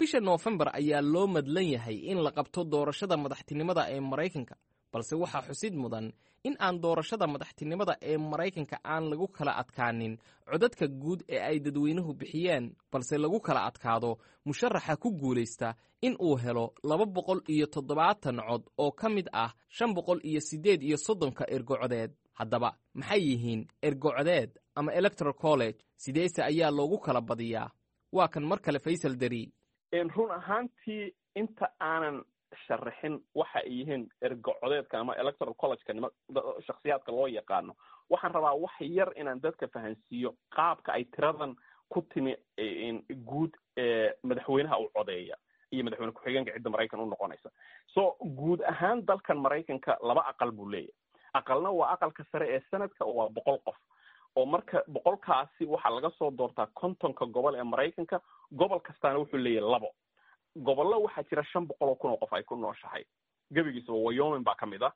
Bisha Noofembar ayaa loo madlan yahay in la qabto doorashada madaxtinimada ee Maraykanka, balse waxaa xusid mudan in aan doorashada madaxtinimada ee Maraykanka aan lagu kala adkaanin codadka guud ee ay dadweynuhu bixiyeen, balse lagu kala adkaado musharaxa ku guulaysta in uu helo 270 cod oo ka mid ah 538-ka ergocodeed. Haddaba maxay yihiin ergocodeed ama electoral college? Sideese ayaa loogu kala badiyaa? Waa kan mar kale Faysal Deri. Run ahaantii, inta aanan sharaxin waxa ay yihiin ergocodeedka ama electoral collegeka nima shaksiyaadka loo yaqaano, waxaan rabaa wax yar inaan dadka fahansiiyo qaabka ay tiradan ku timi guud ee madaxweynaha u codeeya iyo madaxweyne ku-xigeenka cidda Maraykan u noqonaysa. So guud ahaan dalkan Maraykanka laba aqal buu leeyahay. Aqalna waa aqalka sare ee Senate-ka, oo waa 100 qof, oo marka 100-kaasi waxaa laga soo doortaa 50-ka gobol ee Maraykanka. Gobol kastaana wuxuu leeyahay labo. Gobollo waxaa jira 500,000 oo qof ay ku nooshahay gebigiisaba, Wyoming baa ka mid ah.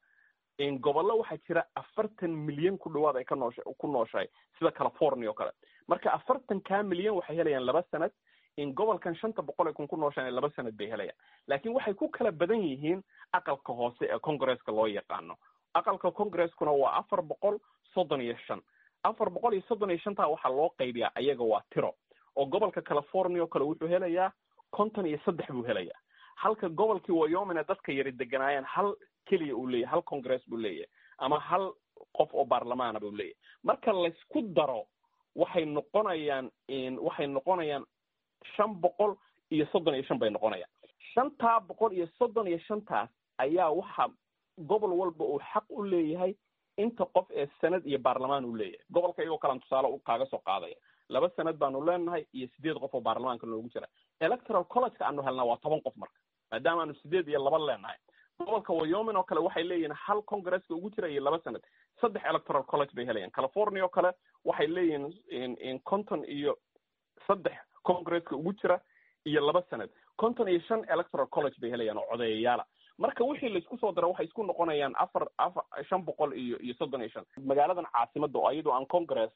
Gobollo waxaa jira 40 milyan ku dhawaad ay ka noosha ku nooshahay, sida California oo kale. Marka 40-kaa milyan waxay helayaan laba sanad, in gobolkan 500,000 ku nooshahay laba sanad bay helayaan. Laakiin waxay ku kala badan yihiin aqalka hoose ee Congresska loo yaqaano. Aqalka Congreskuna waa 435. 435-taa waxaa loo qaybiyaa ayaga waa tiro, oo gobolka California oo kale wuxuu helayaa 53 buu helayaa, halka gobolkii Wyoming dadka yari deganaayeen hal keliya uu leeyahay, hal congress buu leeyahay ama hal qof oo baarlamaana buu leeyahay. Marka laysku daro waxay noqonayaan 535 bay noqonayaan. 535-taas ayaa waxa gobol walba uu xaq u leeyahay inta qof ee Senate iyo baarlamaan uu leeyahay. Gobolka iyagoo kalan tusaale u kaaga soo qaadaya, laba Senate baanu leenahay iyo sideed qof oo baarlamaanka noogu jira. Electoral collegeka aanu helnaa waa 10 qof. Marka maadaama aanu sideed iyo laba leenahay, gobolka Wyoming oo kale waxay leeyihiin hal congresska ugu jira iyo laba Senate, saddex electoral college bay helayaan. California oo kale waxay leeyihiin 53 congresska ugu jira iyo laba Senate, 55 electoral college bay helayaan oo codeeyayaala. Marka wixii laisku soo daro waxay isku noqonayaan afar afar 535. Magaaladan caasimadda oo iyadoo aan congress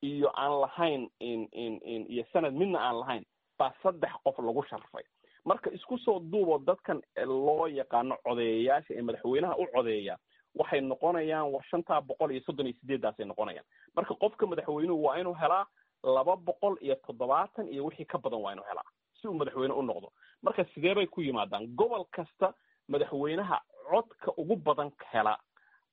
iyo aan lahayn iyo Senate midna aan lahayn baa saddex qof lagu sharfay. Marka isku soo duubo, dadkan loo yaqaano codeeyayaasha ee madaxweynaha u codeeya waxay noqonayaan war 538-daasay noqonayaan. Marka qofka madaxweynuhu waa inuu helaa 270 iyo wixii ka badan waa inuu helaa si uu madaxweyne u noqdo. Marka sidee bay ku yimaadaan? Gobol kasta madaxweynaha codka ugu badan hela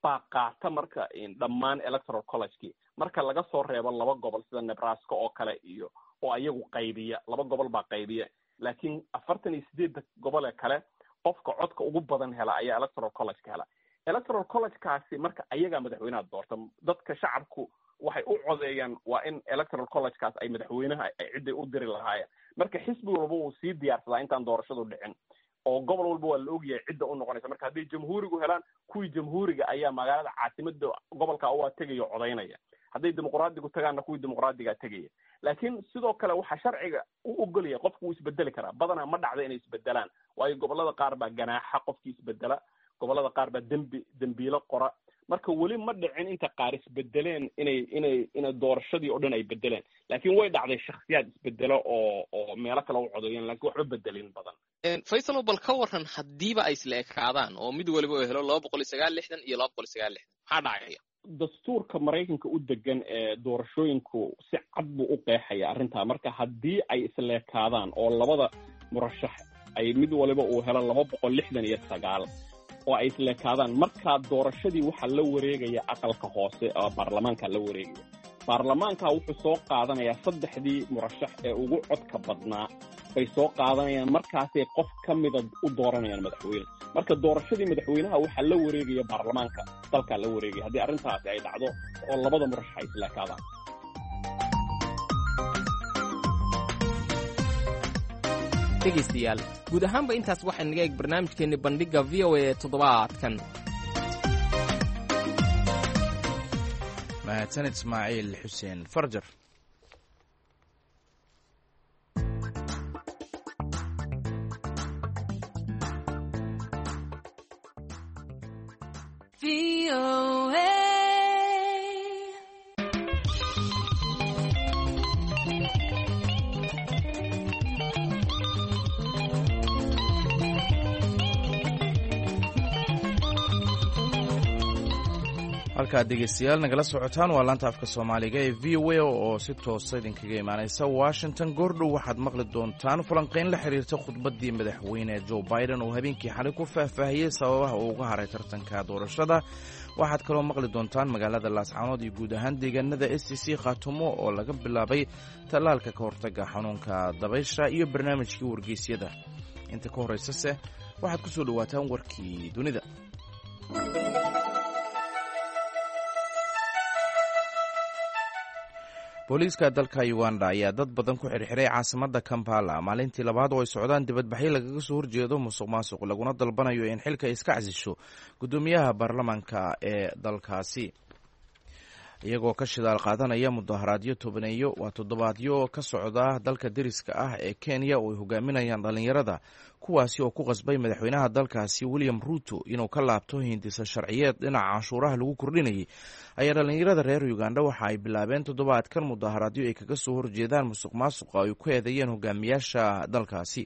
baa qaata marka dhammaan electoral collegekii, marka laga soo reebo laba gobol sida Nebraska oo kale iyo oo ayagu qaybiya, laba gobol baa qaybiya. Laakiin 48-da gobol ee kale qofka codka ugu badan hela ayaa electoral collegeka hela. Electoral collegekaasi marka ayagaa madaxweynaha doorta. Dadka shacabku waxay u codeeyaan waa in electoral collegekaas ay madaxweynaha ay ciday u diri lahaayeen. Marka xisbi walba wuu sii diyaarsadaa intaan doorashadu dhicin, oo gobol walba waa la ogyahay cidda u noqonaysa. Marka hadday Jamhuurigu helaan, kuwii Jamhuuriga ayaa magaalada caasimada gobolka waa tegaya o codaynaya. Hadday Dimuqraadigu tagaanna, kuwii Dimuqraadigaa tegaya. Laakiin sidoo kale waxaa sharciga u ogolaya qofku wuu isbedeli karaa. Badanaa ma dhacda inay isbedelaan, waayo gobolada qaar baa ganaaxa qofkii isbedela, gobolada qaar baa dembi dembiilo qora. Marka weli ma dhicin inta qaar isbedeleen inay doorashadii oo dhan ay bedeleen. Laakiin way dhacday shaksiyaad isbedelo oo meelo kale u codeeyeen, lakin waxba bedelin badan. Faysalo, bal ka waran haddiiba ay isla ekaadaan oo mid waliba uu helo 269 iyo 269, maxaa dhacaya? Dastuurka Maraykanka u degan ee doorashooyinku si cad buu u qeexaya arrintaa. Marka haddii ay isleekaadaan oo labada murashax ay mid waliba uu helo 269 oo ay isleekaadaan, markaa doorashadii waxaa la wareegaya aqalka hoose oo baarlamaanka la wareegaya. Baarlamaanka wuxuu soo qaadanayaa saddexdii murashax ee ugu codka badnaa. Bay soo qaadanayaan, markaasay qof ka mida u dooranayaan madaxweyne. Marka doorashadii madaxweynaha waxaa la wareegaya baarlamaanka dalkaa la wareegaya, haddii arrintaasi ay dhacdo oo labada murashax ay isleekaadaan. Dhegaystayaal, guud ahaanba intaas waxaa naga eeg barnaamijkeenni Bandhigga VOA ee toddobaadkan. Mahadsanid Ismaaciil Xuseen Farjar. Halkaad dhegeystayaal nagala socotaan waa laanta afka Soomaaliga ee VOA oo si toosa idinkaga imaaneysa Washington. Goordhow waxaad maqli doontaan falanqeyn la xiriirta khudbaddii madaxweyne Joe Biden oo habeenkii xalay ku faahfaahiyey sababaha uu uga haray tartanka doorashada. Waxaad kaloo maqli doontaan magaalada Laascaanood iyo guud ahaan deegaanada SCC Khaatumo oo laga bilaabay tallaalka ka hortaga xanuunka dabaysha iyo barnaamijkii wargeysyada. Inta ka horeysase waxaad ku soo dhowaataan warkii dunida. Booliiska dalka Uganda ayaa dad badan ku xirxiray caasimadda Kampala maalintii labaad oo ay socdaan dibadbaxyo lagaga soo horjeedo musuq maasuq, laguna dalbanayo in xilka iska casisho guddoomiyaha baarlamaanka ee dalkaasi, iyagoo ka shidaal qaadanaya mudaharaadyo tobaneeyo waa toddobaadyo ka socda dalka deriska ah ee Kenya oo ay hogaaminayaan dhallinyarada, kuwaasi oo ku qasbay madaxweynaha dalkaasi William Ruto inuu ka laabto hindisa sharciyeed dhinaca canshuuraha lagu kordhinayay. Ayaa dhallinyarada reer Uganda waxa ay bilaabeen toddobaadkan mudaharaadyo ay kaga soo horjeedaan musuq maasuqa ay ku eedeeyeen hogaamiyaasha dalkaasi.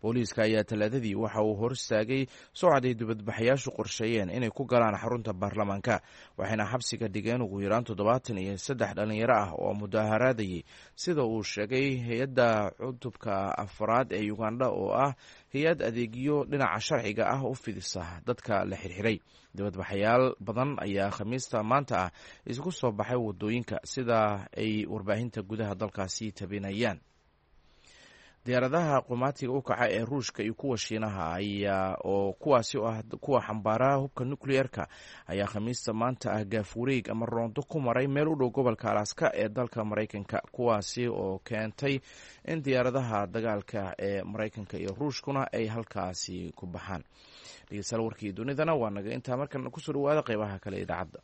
Booliiska ayaa Talaadadii waxa uu hor istaagay socod ay dibadbaxayaashu qorsheeyeen inay ku galaan xarunta baarlamaanka, waxayna xabsiga dhigeen ugu yaraan 73 dhalinyaro ah oo mudaharaadayay, sida uu sheegay hay-adda cutubka afraad ee Uganda oo ah hay-ad adeegyo dhinaca sharciga ah u fidisa dadka la xirxiray. Dibadbaxayaal badan ayaa Khamiista maanta ah isku soo baxay wadooyinka, sida ay warbaahinta gudaha dalkaasi tabinayaan. Diyaaradaha qumaatiga u kaca ee Ruushka iyo kuwa Shiinaha ayaa oo kuwaasi oo ah kuwa xambaaraha hubka nukliyeerka ayaa Khamiista maanta ah gaafureeg ama roondo ku maray meel u dhow gobolka Alaska ee dalka Maraykanka, kuwaasi oo keentay in diyaaradaha dagaalka ee Maraykanka iyo Ruushkuna ay halkaasi ku baxaan. Dhegeystayaal, warkii dunidana waa naga intaa. Markana kusoo dhawaada qeybaha kale idaacadda.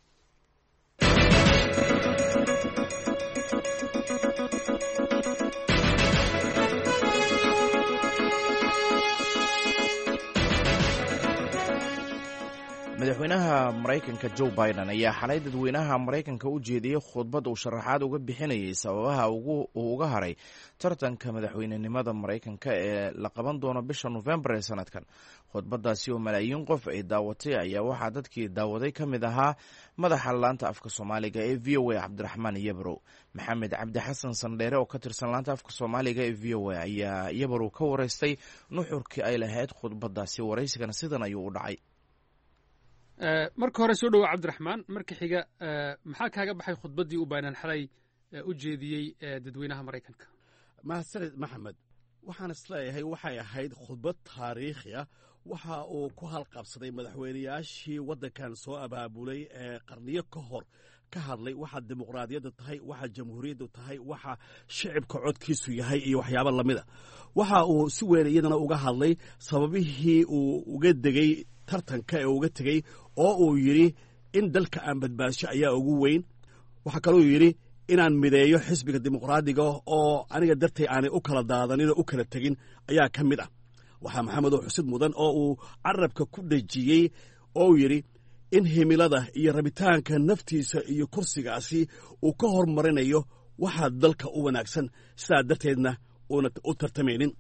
Madaxweynaha Maraykanka Joe Biden ayaa xalay dadweynaha Maraykanka u jeediyey khudbad uu sharaxaad uga bixinayay sababaha uu uga haray tartanka madaxweynenimada Maraykanka ee la qaban doono bisha Nofembar ee sanadkan. Khudbadaasi oo malaayiin qof ay daawatay ayaa waxaa dadkii daawaday ka mid ahaa madaxa laanta afka Soomaaliga ee VOA, Cabdiraxmaan Yabrow. Maxamed Cabdi Xasan Sandheere oo ka tirsan laanta afka Soomaaliga ee VOA ayaa Yabrow ka wareystay nuxurkii ay lahayd khudbadaasi. Waraysigana sidan ayuu u dhacay. Marka hore soo dhowa Cabdiraxmaan. Marka xiga, maxaa kaaga baxay khudbaddii uu Biden xalay u jeediyey dadweynaha Maraykanka? Mahadsanid Maxamed. Waxaan isleeyahay waxay ahayd khudbad taariikhi ah. Waxa uu ku halqabsaday madaxweynayaashii waddankan soo abaabulay ee qarniyo ka hor ka hadlay waxa dimuqraadiyadda tahay, waxa jamhuuriyaddu tahay, waxa shicibka codkiisu yahay iyo waxyaabo lamida. Waxa uu si weyn iyadana uga hadlay sababihii uu uga degay tartanka ee uga tegey, oo uu yidhi in dalka aan badbaasho ayaa ugu weyn. Waxaa kaluu yidhi inaan mideeyo xisbiga dimuqraadiga oo aniga dartay aanay u kala daadanin oo u kala tegin ayaa ka mid ah. Waxaa Maxamedow xusid mudan oo uu carabka ku dhejiyey oo uu yidhi in himilada iyo rabitaanka naftiisa iyo kursigaasi uu ka hormarinayo waxaa dalka u wanaagsan, sidaa darteedna uuna u tartamaynin.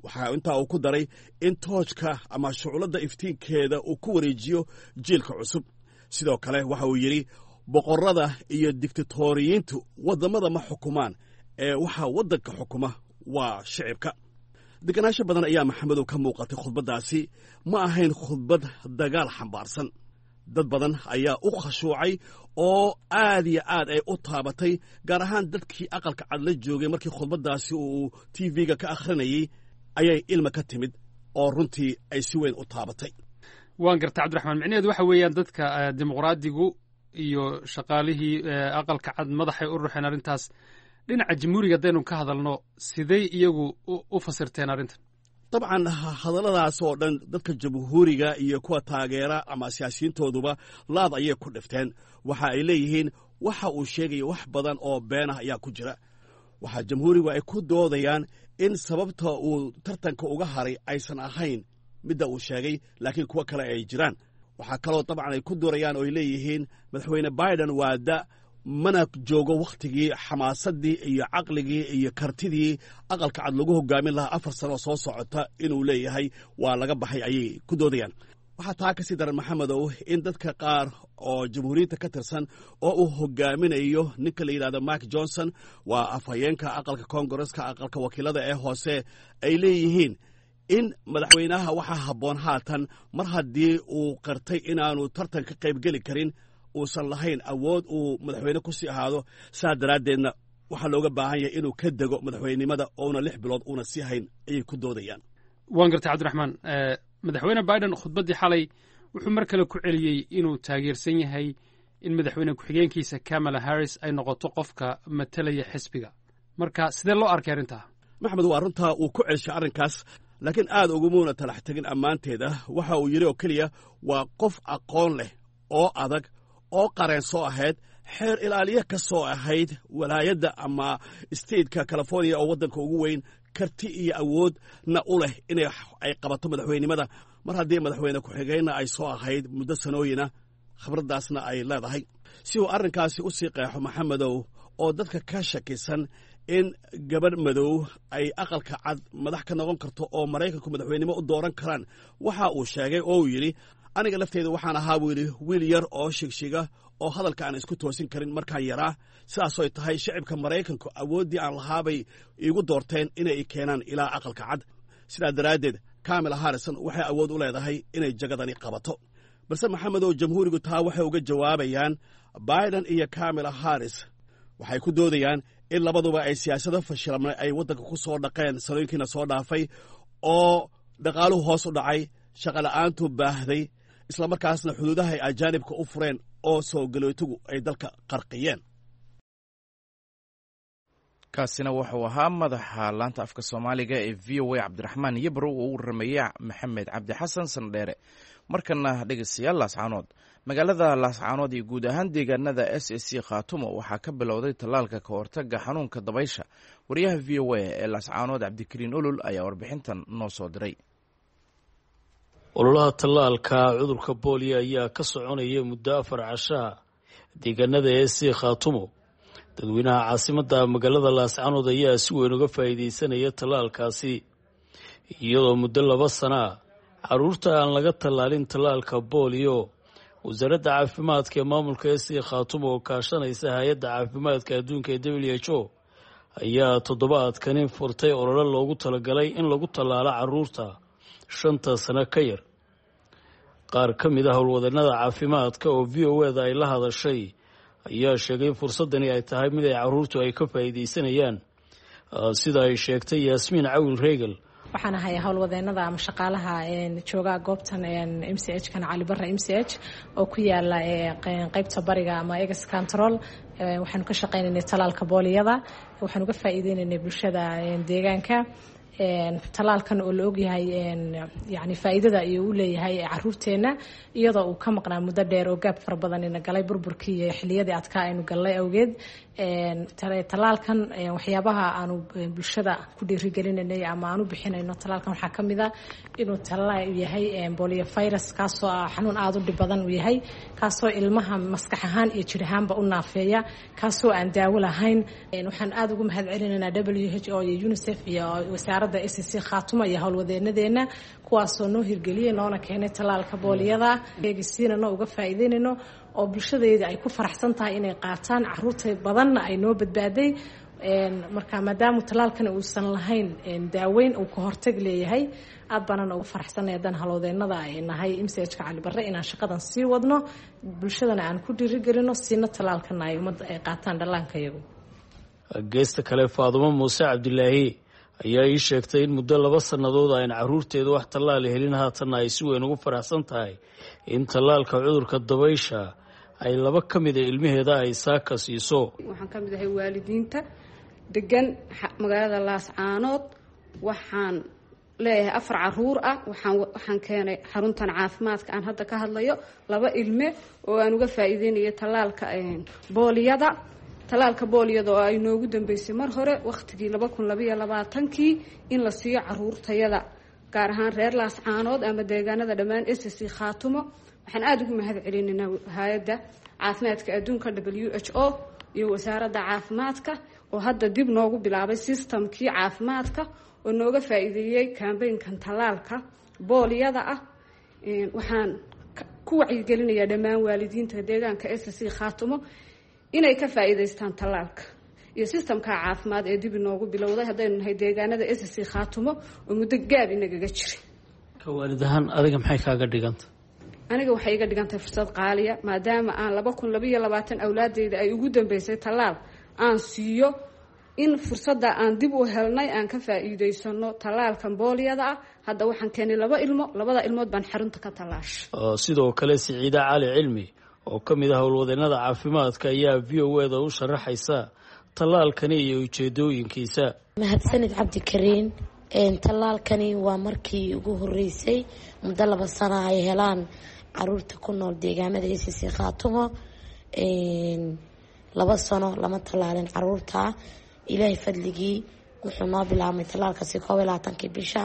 Waxaa intaa uu ku daray in toojka ama shuculadda iftiinkeeda uu ku wareejiyo jiilka cusub. Sidoo kale waxa uu yidhi boqorrada iyo digtatoriyiintu waddamada ma xukumaan, ee waxaa waddanka xukuma waa shicibka. Deganaansho badan ayaa Maxamedow ka muuqatay khudbaddaasi. Ma ahayn khudbad dagaal xambaarsan. Dad badan ayaa u khashuucay oo aad iyo aad ay u taabatay, gaar ahaan dadkii Aqalka Cad la joogay markii khudbaddaasi uu TV-ga ka akhrinayey ayay ilma ka timid oo runtii ay si weyn u taabatay. Waan garta, Cabdiraxmaan. Micnaheedu waxa weeyaan dadka Dimuqraadigu iyo shaqaalihii Aqalka Cad madaxay u ruxeen arrintaas. Dhinaca Jamhuuriga haddaynu ka hadalno, sidey iyagu u fasirteen arrintan? Dabcan, hadalladaas oo dhan dadka Jamhuuriga iyo kuwa taageera ama siyaasiyiintooduba laad ayay ku dhifteen. Waxa ay leeyihiin waxa uu sheegaya wax badan oo been ah ayaa ku jira. Waxaa Jamhuurigu ay ku doodayaan in sababta uu tartanka uga haray aysan ahayn midda uu sheegay, laakiin kuwo kale ay jiraan. Waxaa kaloo dabcan ay ku doorayaan oo ay leeyihiin Madaxweyne Biden waa da, mana joogo wakhtigii xamaasaddii iyo caqligii iyo kartidii Aqalka Cad lagu hogaamin lahaa 4 sano soo socota inuu leeyahay waa laga baxay, ayay ku doodayaan. Waxaa taa ka sii daran, Maxamedow, in dadka qaar oo Jamhuuriyadda ka tirsan oo uu hogaaminayo ninka la yidhahdo Mike Johnson, waa afhayeenka aqalka Koongareska, aqalka wakiilada ee hoose, ay leeyihiin in madaxweynaha waxaa habboon haatan, mar haddii uu qirtay inaanu tartan ka qaybgeli karin, uusan lahayn awood uu madaxweyne ku sii ahaado, saa daraaddeedna waxaa looga baahan yahay inuu ka dego madaxweynenimada oona 6 bilood uuna sii hayn, ayay ku doodayaan. Waan gartay, Cabdiraxmaan. Madaxweyne Biden khudbaddii xalay wuxuu mar kale ku celiyey inuu taageersan yahay in madaxweyne ku-xigeenkiisa Kamala Harris ay noqoto qofka matalaya xisbiga. Marka sidee loo arkay arrintaa? Maxamed, waa runtaa, uu ku celshay arrinkaas, laakiin aad ugumuuna talax tegin ammaanteeda. Waxa uu yidhi oo keliya waa qof aqoon leh oo adag oo qareen soo ahayd, xeer ilaaliye ka soo ahayd walaayadda ama stateka California oo waddanka ugu weyn, karti iyo awoodna u leh inay ay qabato madaxweynenimada, mar haddii madaxweyne ku-xigeenna ay soo ahayd muddo sanooyina, khibraddaasna ay leedahay. Si uu arrinkaasi u sii qeexo, Maxamedow, oo dadka ka shakisan in gabadh madow ay Aqalka Cad madax ka noqon karto oo Maraykanku madaxweynenimo u dooran karaan, waxa uu sheegay oo uu yidhi: "Aniga lafteyda waxaan ahaa," buu yidhi, "wiil yar oo shigshiga oo hadalka aan isku toosin karin markaan yaraa. Sidaasoy tahay, shacibka Maraykanku awooddii aan lahaabay iigu doorteen inay i keenaan ilaa Aqalka Cad. Sidaa daraaddeed Kamala Harrison waxay awood u leedahay inay jagadani qabato." Balse, Maxamedow, Jamhuurigu taa waxay uga jawaabayaan Biden iyo Kamala Harris. Waxay ku doodayaan in labaduba ay siyaasado fashilmay ay waddanka ku soo dhaqeen sanooyinkiina soo dhaafay, oo dhaqaaluhu hoos u dhacay, shaqola'aantu baahday, islamarkaasna xuduudaha ay ajaanibka u fureen oo soo galootigu ay dalka qarqiyeen. Kaasina wuxuu ahaa madaxa laanta afka Soomaaliga ee VOA, Cabdiraxmaan Yabro, oo u warrameeyey Maxamed Cabdi Xasan Sandheere. Markana dhegeystayaal, Laascaanood. Magaalada Laascaanood iyo guud ahaan deegaanada SSC Khaatumo waxaa ka bilowday tallaalka ka hortaga xanuunka dabaysha. Wariyaha VOA ee Laascaanood, Cabdikariin Olol, ayaa warbixintan noo soo diray. Ololaha tallaalka cudurka booliya ayaa ka soconaya muddo 4 cashaa deegaanada SSC Khaatumo. Dadweynaha caasimadda magaalada Laascaanood ayaa si weyn uga faa'iidaysanaya tallaalkaasi, iyadoo muddo 2 sana ah carruurta aan laga tallaalin tallaalka booliyo. Wasaaradda caafimaadka ee maamulka SSC Khaatumo oo kaashanaysa hay-adda caafimaadka adduunka ee WHO ayaa toddobaadkani furtay olole loogu talagalay in lagu tallaalo carruurta 5-ta sano ka yar. Qaar ka mid ah howlwadeennada caafimaadka oo VOA-da ay la hadashay ayaa sheegay fursadani ay tahay mid ay carruurtu ay ka faa'iidaysanayaan, sida ay sheegtay Yaasmiin Cawil Reegel. Waxaan ahay howlwadeenada ama shaqaalaha jooga goobtan MCH kan Cali Barre MCH oo ku yaala qeybta bariga ama ex control. Waxaanu ka shaqeynaynay tallaalka booliyada. Waxaan uga faa'iideynaynay bulshada deegaanka tallaalkan oo la ogyahay yani faa'iidada ayuu u leeyahay caruurteena, iyadoo uu ka maqnaa muddo dheer oo gaab fara badan ina galay burburkii iyo xilliyadii adkaa aynu gallay awgeed. Tallaalkan waxyaabaha aanu bulshada ku dhiirigelinanay ama aan u bixinayno tallaalkan waxaa ka mid a inuu tallaal yahay polio virus, kaasoo ah xanuun aada u dhib badan uu yahay, kaasoo ilmaha maskax ahaan iyo jir ahaanba u naafeeya, kaasoo aan daawo lahayn. Waxaan aada ugu mahad celinaynaa WHO iyo UNICEF iyo wasaaradda SSC Khaatuma iyo howlwadeenadeena, kuwaasoo noo hirgeliyey noona keenay tallaalka booliyada. Eegisiinano uga faa'iideynayno oo bulshadayda ay ku faraxsan tahay inay qaataan, caruurta badanna ay noo badbaaday. Marka maadaama tallaalkani uusan lahayn daaweyn, uu ka hortag leeyahay, aad baanana ugu faraxsanay haddaan halowdeennada ay nahay MCH-ka Cali Barre inaan shaqadan sii wadno, bulshadana aan ku dhiirigelino, siina tallaalkana ay ummadda ay qaataan dhallaanka iyagu. Geesta kale, Faadumo Muuse Cabdilaahi ayaa ii sheegtay in muddo 2 sannadood ayn caruurteedu wax tallaal helin, haatanna ay si weyn ugu faraxsan tahay in tallaalka cudurka dabaysha ay laba ka mida ilmaheeda ay saaka siiso. Waxaan ka mid ahay waalidiinta degan magaalada Laascaanood. Waxaan leeyahay afar caruur ah. Waxaan keenay xaruntan caafimaadka aan hadda ka hadlayo laba ilme oo aan uga faa'iideynayo tallaalka booliyada, tallaalka booliyada oo ay noogu dambeysay mar hore, wakhtigii 2022-kii, in la siiyo caruurtayada, gaar ahaan reer Laascaanood ama deegaanada dhammaan SSC Khaatumo. Waxaan aada ugu mahad celinaynaa Hay-adda Caafimaadka Adduunka WHO iyo Wasaaradda Caafimaadka oo hadda dib noogu bilaabay systemkii caafimaadka oo nooga faa'iideeyey kambeynkan tallaalka booliyada ah. Waxaan ku wacyigelinayaa dhammaan waalidiinta deegaanka SSC Khaatumo inay ka faa'iidaystaan tallaalka iyo systemka caafimaad ee dib inoogu bilowday haddaynu nahay deegaanada SSC Khaatumo oo muddo gaab inagaga jiray. Ka waalid ahaan adiga maxay kaaga dhiganta? Aniga waxay iga dhigantahay fursad qaaliya, maadaama aan 2022 awlaadeyda ay ugu dambeysay tallaal aan siiyo, in fursadda aan dib u helnay aan ka faa'iidaysano tallaalkan booliyada ah. Hadda waxaan keenay laba ilmo, labada ilmood baan xarunta ka tallaashay. Sidoo kale, Siciide Cali Cilmi oo ka mid ah howlwadeennada caafimaadka ayaa VOA-da u sharaxaysa tallaalkani iyo ujeedooyinkiisa. Mahadsanid, Cabdikariin. Tallaalkani waa markii ugu horeysay muddo 2 sano ay helaan caruurta ku nool deegaamada SSC Khaatumo. 2 sano lama tallaalin caruurta. Ilaahay fadligii wuxuu noo bilaabmay tallaalkaasi 21-kii bisha.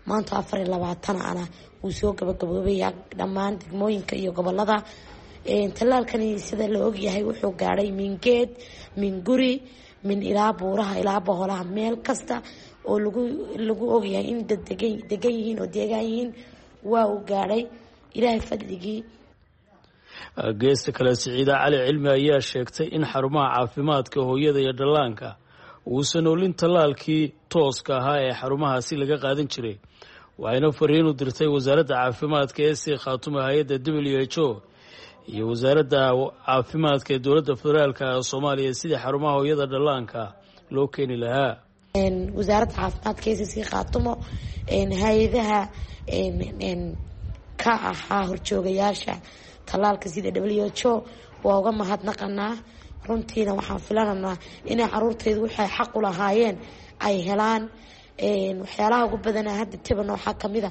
Maanta 24 ana wuu soo gabagaboobaya dhammaan degmooyinka iyo gobolada. Tallaalkani sida la ogyahay wuxuu gaadhay min geed, min guri, min ilaa buuraha ilaa boholaha, meel kasta oo lagu ogyahay in dad degan yihiin oo deegaan yihiin waa uu gaadhay, Ilaahay fadligii. Geesta kale, Siciide Cali Cilmi ayaa sheegtay in xarumaha caafimaadka hooyada iyo dhallaanka uusan olin tallaalkii tooska ahaa ee xarumahaasi laga qaadan jiray, waxayna fariin u dirtay Wasaaradda Caafimaadka ee SSC Khaatumo, hay-adda WHO iyo Wasaaradda Caafimaadka ee dowladda federaalka ee Soomaaliya sidii xarumaha hooyada dhallaanka loo keeni lahaa. Wasaaradda Caafimaadka SSC Khaatumo, hay-adaha ka ahaa horjoogayaasha tallaalka sida WHO waa uga mahadnaqanaa. Runtiina waxaan filananaa inay caruurtaydu waxay xaq u lahaayeen ay helaan. Waxyaalaha ugu badanaa hadda tabana waxaa kamid a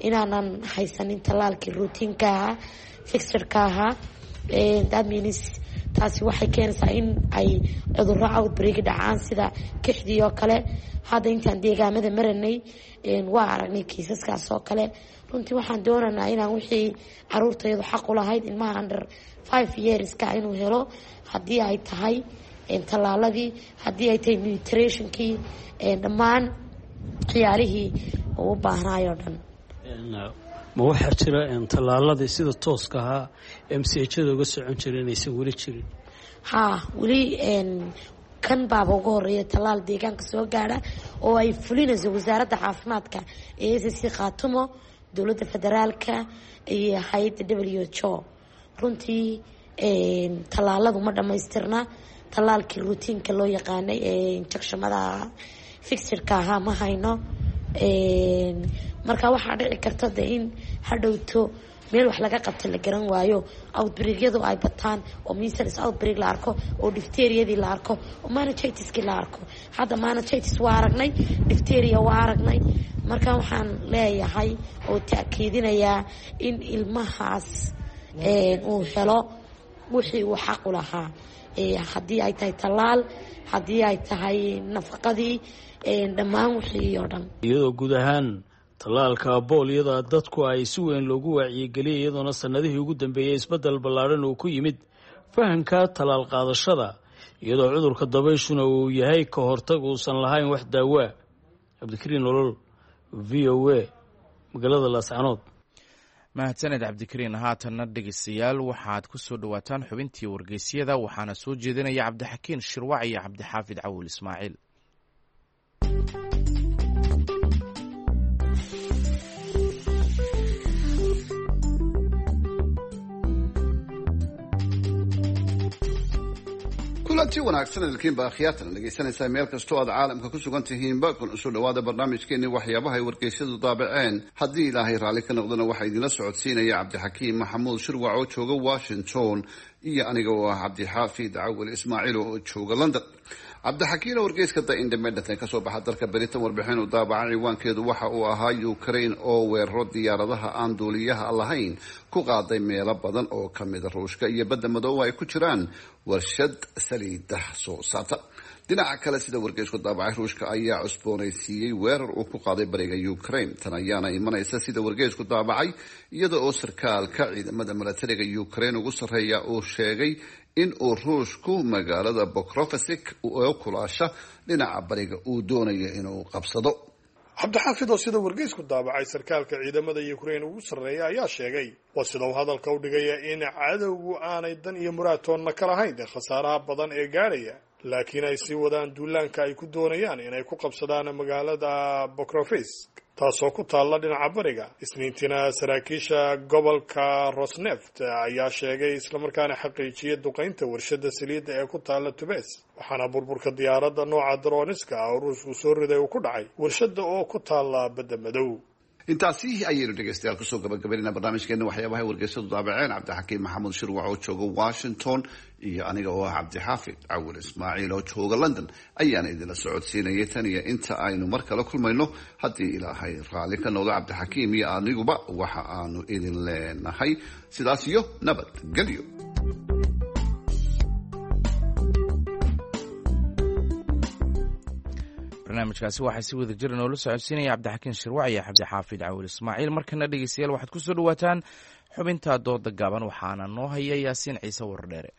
inaanan haysanin tallaalkii routineka ahaa, fixedka ahaa. That means taasi waxay keenaysaa in ay cudurro outbreak dhacaan, sida kixdii oo kale. Hadda intaan deegaamada maranay waa aragnay kiisaskaas oo kale. Runtii waxaan doonaynaa inaan wixii caruurtaydu xaq u lahayd, ilmaha under 5 yearska inuu helo, haddii ay tahay tallaaladii, haddii ay tahay nutritionkii, dhammaan ciyaalihii uu u baahnaayoo dhan. Ma waxaa jira tallaaladii sida tooska ahaa MCH-ada uga socon jira inaysan weli jirin? Haa, weli kan baaba uga horeeya tallaal deegaanka soo gaadha oo ay fulinayso Wasaaradda Caafimaadka ee SSC Khaatumo, dowladda federaalka iyo hay-adda WHO. Runtii tallaaladu ma dhamaystirna. Tallaalkii routineka loo yaqaanay ee injectionada ahaa, fixedka ahaa, ma hayno. Marka waxaa dhici karta de in hadhowto meel wax laga qabta la garan waayo, outbreakyadu ay bataan oo measles outbreak la arko, oo diphtheriadii la arko, oo meningitiskii la arko. Hadda meningitis waa aragnay, diphtheria waa aragnay. Marka waxaan leeyahay oo ta'kiidinayaa in ilmahaas uu helo wixii uu xaq u lahaa, haddii ay tahay tallaal, haddii ay tahay nafaqadii, dhammaan wixii oo dhan. Iyadoo guud ahaan tallaalka booliyada dadku ay si weyn loogu wacyigeliyay, iyadoona sanadihii ugu dambeeyey isbeddel ballaadhan uu ku yimid fahamka tallaal qaadashada, iyadoo cudurka dabayshuna uu yahay ka hortag uusan lahayn wax daawaa. Cabdikariin Nolol, VOA, magaalada Laascanood. Mahadsaned Cabdikariin. Haatanna dhegeystayaal, waxaad ku soo dhowaataan xubintii wargeysyada, waxaana soo jeedinaya Cabdixakiin Shirwac iyo Cabdixaafid Cawil Ismaaciil. Kulanti wanaagsan idilkiinba akhyaartan dhegeysanaysaa meel kastoo aad caalamka ku sugan tihiinba, kun usoo dhawaada barnaamijkeeni waxyaabaha ay wargeysyadu daabaceen. Haddii Ilaahay raalli ka noqdona, waxaa idinla socodsiinaya Cabdixakiim Maxamuud Shirwac oo jooga Washington iyo aniga oo ah Cabdixaafid Cawil Ismaaciil oo jooga London. Cabdixakiin, oo wargeyska The Independent ee kasoo baxa dalka Britain warbixin uu daabacan ciwaankeedu waxa uu ahaa Ukraine oo weeraro diyaaradaha aan duuliyaha lahayn ku qaaday meelo badan oo kamida Ruushka iyo Badda Madooba ay ku jiraan warshad saliida soo saarta. Dhinaca kale, sida wargeysku daabacay, Ruushka ayaa cusboonaysiiyey weerar uu ku qaaday bariga Ukraine. Tan ayaana imanaysa, sida wargeysku daabacay, iyada oo sarkaalka ciidamada milatariga Ukraine ugu sarreeya uu sheegay in uu Ruushku magaalada Pokrovsk oo kulaasha dhinaca bariga uu doonayo inuu qabsado. Cabdixaafid, oo sida wargeysku daabacay sarkaalka ciidamada Ukraine ugu sarreeya ayaa sheegay, waa sida uu hadalka u dhigaya, in cadowgu aanay dan iyo muraadtoonna ka lahayn khasaaraha badan ee gaadhaya, laakiin ay sii wadaan duulaanka ay ku doonayaan inay ku qabsadaan magaalada Pokrovsk, taasoo ku taalla dhinaca bariga. Isniintiina saraakiisha gobolka Rosneft ayaa sheegay islamarkaana xaqiijiyay duqaynta warshada saliidda ee ku taalla Tubes, waxaana burburka diyaaradda nooca droniska oo Ruushku soo riday uu ku dhacay warshadda oo ku taalla Badda Madow. Intaasi ayaynu dhegeystayaal kusoo gabagabaynayna barnaamijkeena waxyaabaha wargeysadu daabaceen. Cabdixakiim Maxamuud Shirwac oo jooga Washington iyo aniga oo ah Cabdixaafid Cawil Ismaaciil oo jooga London ayaana idinla socodsiinayay. Tan iyo inta aynu mar kale kulmayno, haddii Ilaahay raalli ka noqdo, Cabdixakiim iyo aniguba waxa aanu idin leenahay sidaas iyo nabadgelyo. Barnaamijkaasi waxaa si wada jira noola socodsiinaya Cabdixakiin Shirwac iyo Cabdixaafid Cawil Ismaaciil. Markana dhegeystayaal, waxaad ku soo dhawaataan xubinta dooda gaaban, waxaana noo haya Yaasiin Ciise Wardheere.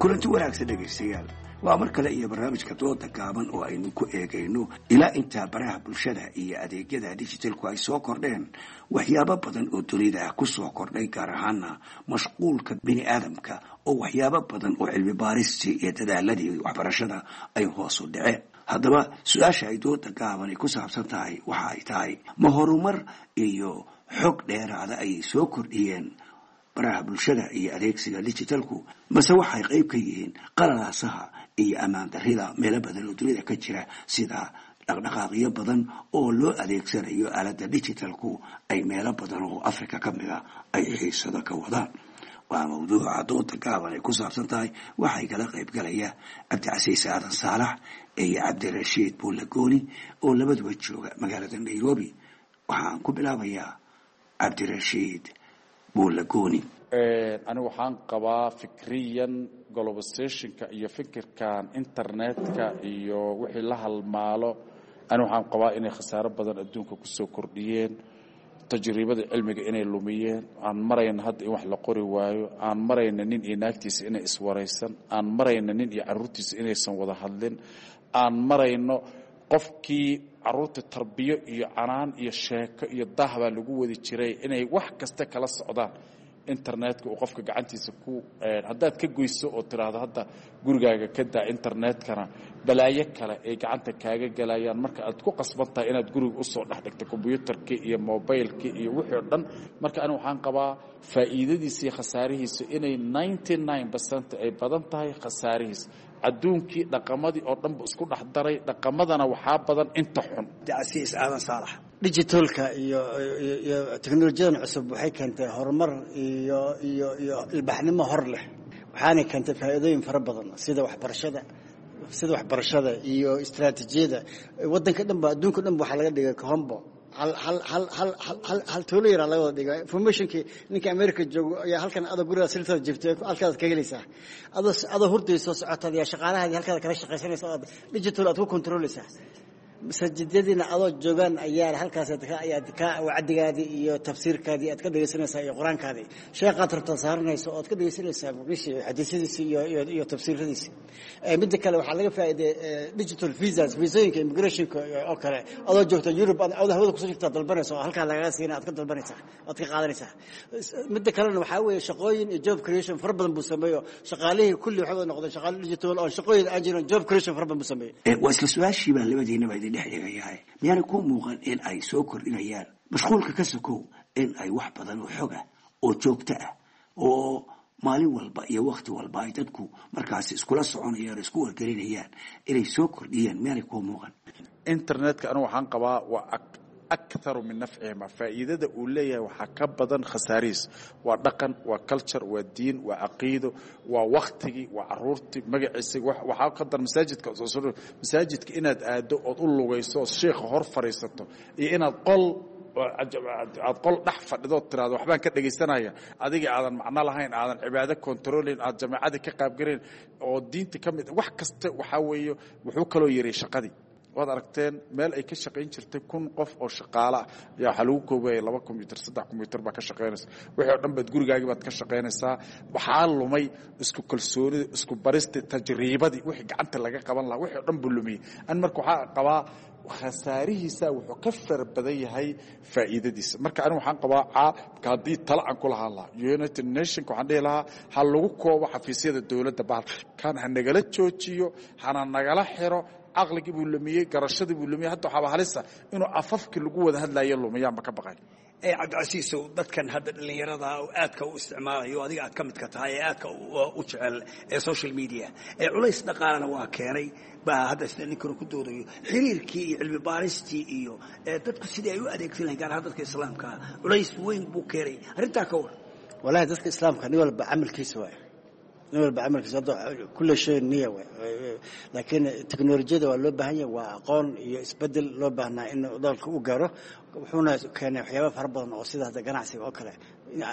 Kulanti wanaagsan dhegaystayaal, waa mar kale iyo barnaamijka dooda gaaban oo aynu ku eegayno ilaa intaa baraha bulshada iyo adeegyada digitalku ay soo kordheen waxyaabo badan oo dunida ku soo kordhay, gaar ahaana mashquulka bini aadamka oo waxyaabo badan oo cilmi baaristii iyo dadaaladii waxbarashada ay hoos u dhaceen. Haddaba su-aasha ay dooda gaabani ku saabsan tahay waxa ay tahay: ma horumar iyo xog dheeraada ayay soo kordhiyeen baraha bulshada iyo adeegsiga digitalku, mase waxay qayb ka yihiin qalalaasaha iyo ammaan darrida meelo badan oo dunida ka jira, sida dhaqdhaqaaqyo badan oo loo adeegsanayo aaladda digitalku ay meelo badan oo Africa ka mid a ay xiisado ka wadaan? Waa mawduuca dooda gaaban ay ku saabsan tahay. Waxay kala qayb galaya Cabdicasiis Aadan Saalax iyo Cabdirashiid Buulagooni oo labaduba jooga magaalada Nairobi. Waxaan ku bilaabayaa Cabdirashiid Buulagooni. Anigu waxaan qabaa fikriyan globalizationka iyo fikirkan internetka iyo wixii la halmaalo, anigu waxaan qabaa inay khasaaro badan adduunka kusoo kordhiyeen, tajriibada cilmiga inay lumiyeen. Aan marayna hadda in wax la qori waayo, aan marayna nin iyo naagtiisa inay iswaraysan, aan marayna nin iyo carruurtiisa inaysan wada hadlin, aan marayno qofkii carruurta tarbiyo iyo canaan iyo sheeko iyo daah baa lagu wadi jiray inay wax kasta kala socdaan internetka uu qofka gacantiisa ku haddaad ka goyso oo tiraahdo hadda gurigaaga ka daa internetkana, balaayo kale ay gacanta kaaga galayaan. Marka aad ku qasban tahay inaad guriga usoo dhex dhigto kombyuutarkii iyo mobilkii iyo wixii o dhan. Marka anigu waxaan qabaa faa'iidadiisa iyo khasaarihiisa inay 99% ay badan tahay khasaarihiisa. Adduunkii dhaqamadii oo dhanba isku dhex daray, dhaqamadana waxaa badan inta xun. Cabdicasiis Aadan Saalax. Digitalka iyo iyo teknolojiyadan cusub waxay keentay horumar iyo ilbaxnimo hor leh, waxaanay keentay faa'iidooyin fara badan sida waxbarashada iyo istaraatiijiyada waddanka dhan ba, adduunka dhan ba waxaa laga dhigay kahombo hal hal hal hal hal hal tuulo yaraa laga wada dhigay. Informationkii ninka America joogo ayaa halkan adoo gurigaa sirtada jiftay halkaad ka helaysaa, adoo hurdayso socotaad yaa shaqaalahaadii halkaad kala shaqaysanaysa, aad digital aad ku controlaysaa. Masaajidadiina adoo joogaan ayaa halkaas ayaad ka wacdigaadii iyo tafsiirkaadii aad ka dhegaysanaysaa iyo qur-aankaadii sheekhaad rabtaa saaranayso ood ka dhegaysanaysaa muqdisho xadiisyadiisi iyo tafsiiradiisi. Midda kale waxaa laga faa'iiday digital visas, visooyinka immigrationka oo kale. Adoo joogta Yurub, adoo hawada kusoo jirtaa dalbanaysa oo halkaa lagaga siina, aad ka dalbanaysaa, aad ka qaadanaysaa. Midda kalena waxaa weeye shaqooyin iyo job creation fara badan buu sameeyo. Shaqaalihii kulli waxay wada noqdeen shaqaale digital oo shaqooyin aan jirin, job creation fara badan buu sameeyey. Waa isla su-aashii baan labadiinaba idin dhex dhigayahay. Miyaanay ku muuqan in ay soo kordhinayaan mashquulka ka sokow in ay wax badan oo xoga oo joogto ah oo maalin walba iyo wakti walba ay dadku markaasi iskula soconayaan oo isku wargelinayaan inay soo kordhiyaan? Miyaanay kuu muuqan? Internetka anigu waxaan qabaa waa aktharu min nafcihima. Faa'iidada uu leeyahay waxaa ka badan khasaarihiis. Waa dhaqan, waa culture, waa diin, waa caqiido, waa waktigii, waa caruurtii, magaciisii. Waxaa ka dar masaajidka, masaajidka inaad aado ood u lugayso ood sheikha hor fadhiisato iyo inaad qol aad qol dhex fadhidood tiraado waxbaan ka dhegaysanaya, adiga aadan macno lahayn, aadan cibaado controlin, aad jamaacadii ka qaabgarayn oo diinta ka mid wax kasta. Waxaa weeye wuxuu kaloo yeray shaqadii. Waad aragteen meel ay ka shaqayn jirtay 1000 qof oo shaqaale ah ayaa waxaa lagu koobayay 2 combyuter, 3 combyuter baa ka shaqaynaysa. Wixii oo dhan baad gurigaagii baad ka shaqaynaysaa. Waxaa lumay isku kalsoonidii, isku baristii, tajriibadii, wixii gacanta laga qaban lahaa, wixii oo dhan buu lumiyey. An marka waxaa qabaa khasaarihiisa wuxuu ka fara badan yahay faa'iidadiisa. Marka anigu waxaan qabaa caabka haddii tala aan ku lahaan lahaa United Nationka, waxaan dhihi lahaa ha lagu koobo xafiisyada dowladda, bahalkan ha nagala joojiyo, hana nagala xiro. Caqligii buu lumiyey, garashadii buu lumiyey. Hadda waxaaba halisa inuu afafkii lagu wada hadlayo lumiyaanba ka baqay. Cabdicasiisow, dadkan hadda dhallinyarada oo aadka u isticmaalayo, adiga aad ka midka tahay ee aadka u jecel ee social media, ee culays dhaqaalena waa keenay baa hadda sida ninkanu ku doodayo xiriirkii iyo cilmi baaristii iyo dadku sidii ay u adeegsan lahayn, gaar ahaan dadka islaamkaa, culays weyn buu keenay. Arrintaa ka war. Walahi dadka islaamka nin walba camalkiisa waay, nin walba camalkiisa hadda kulle shay niya waay. Laakiin teknolojiyada waa loo baahan yahay, waa aqoon iyo isbedel loo baahnaa in dalka u gaaro. Wuxuuna keenay waxyaaba fara badan oo sida hadda ganacsiga oo kale.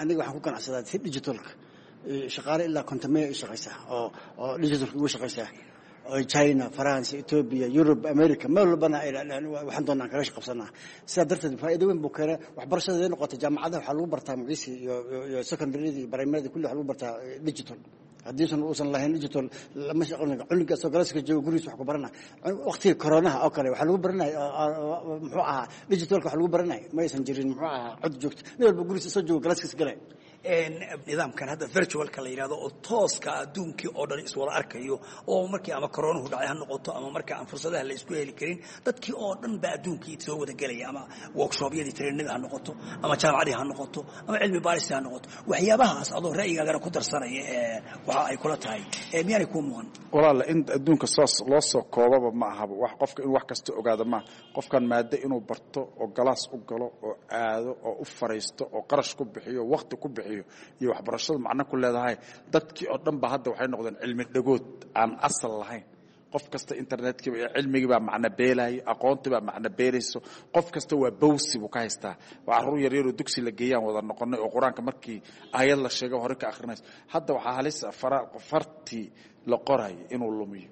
Aniga waxaan ku ganacsadaa si digitalka, shaqaale ilaa 50 ay shaqaysaa oo digitalka ugu shaqaysaa, China, France, Ethiopia, Europe, America, meel walbana waxaan doonaan kaga shaqabsanaa. Sidaa darteed faa'iido weyn buu keenay. Waxbarashada haday noqotay jaamacadaha waxaa lagu bartaa muciisi iyo secondaryada iyo primaryada kulli waxaa lagu bartaa digital. Haddiisan uusan lahayn digital lama shaqon. Cunuga soo galaska jooga gurigiisa wax ku barana. Waqtiga koronaha oo kale waxaa lagu baranaya muxuu ahaa digitalka wax lagu baranaya, ma aysan jirin muxuu ahaa cod joogto, nin walba gurigiisa soo jooga galaskiisa galaya. Nidaamkan hadda virtualka la yidhahdo oo tooska adduunkii oo dhan iswada arkayo oo markii ama koronuhu dhacay ha noqoto ama marka aan fursadaha la isku heli karin, dadkii oo dhan baa adduunkii soo wada gelaya, ama workshoopyadii trainada ha noqoto ama jaamacadii ha noqoto ama cilmi baaristii ha noqoto, waxyaabahaas adoo ra'yigaagana ku darsanaya waxa ay kula tahay miyaanay kuu muuqan? Walaala, in adduunka soos loo soo koobaba ma ahaba. Wax qofka inuu wax kasta ogaado maaha. Qofkan maado inuu barto oo galaas u galo oo aado oo u fariisto oo qarash ku bixiyo, waqti ku bixiyo iyo waxbarashadu macno ku leedahay. Dadkii oo dhan ba hadda waxay noqdeen cilmi dhagood aan asal lahayn. Qof kasta internetkiiba iyo cilmigii baa macno beelaya, aqoontii baa macno beelayso. Qof kasta waa bawsi buu ka haystaa. Waa carruur yaryaroo dugsi la geeyaan wada noqonay oo qur-aanka markii aayad la sheego hore ka akhrinayso. Hadda waxaa halisa fartii la qorayo inuu lumiyo,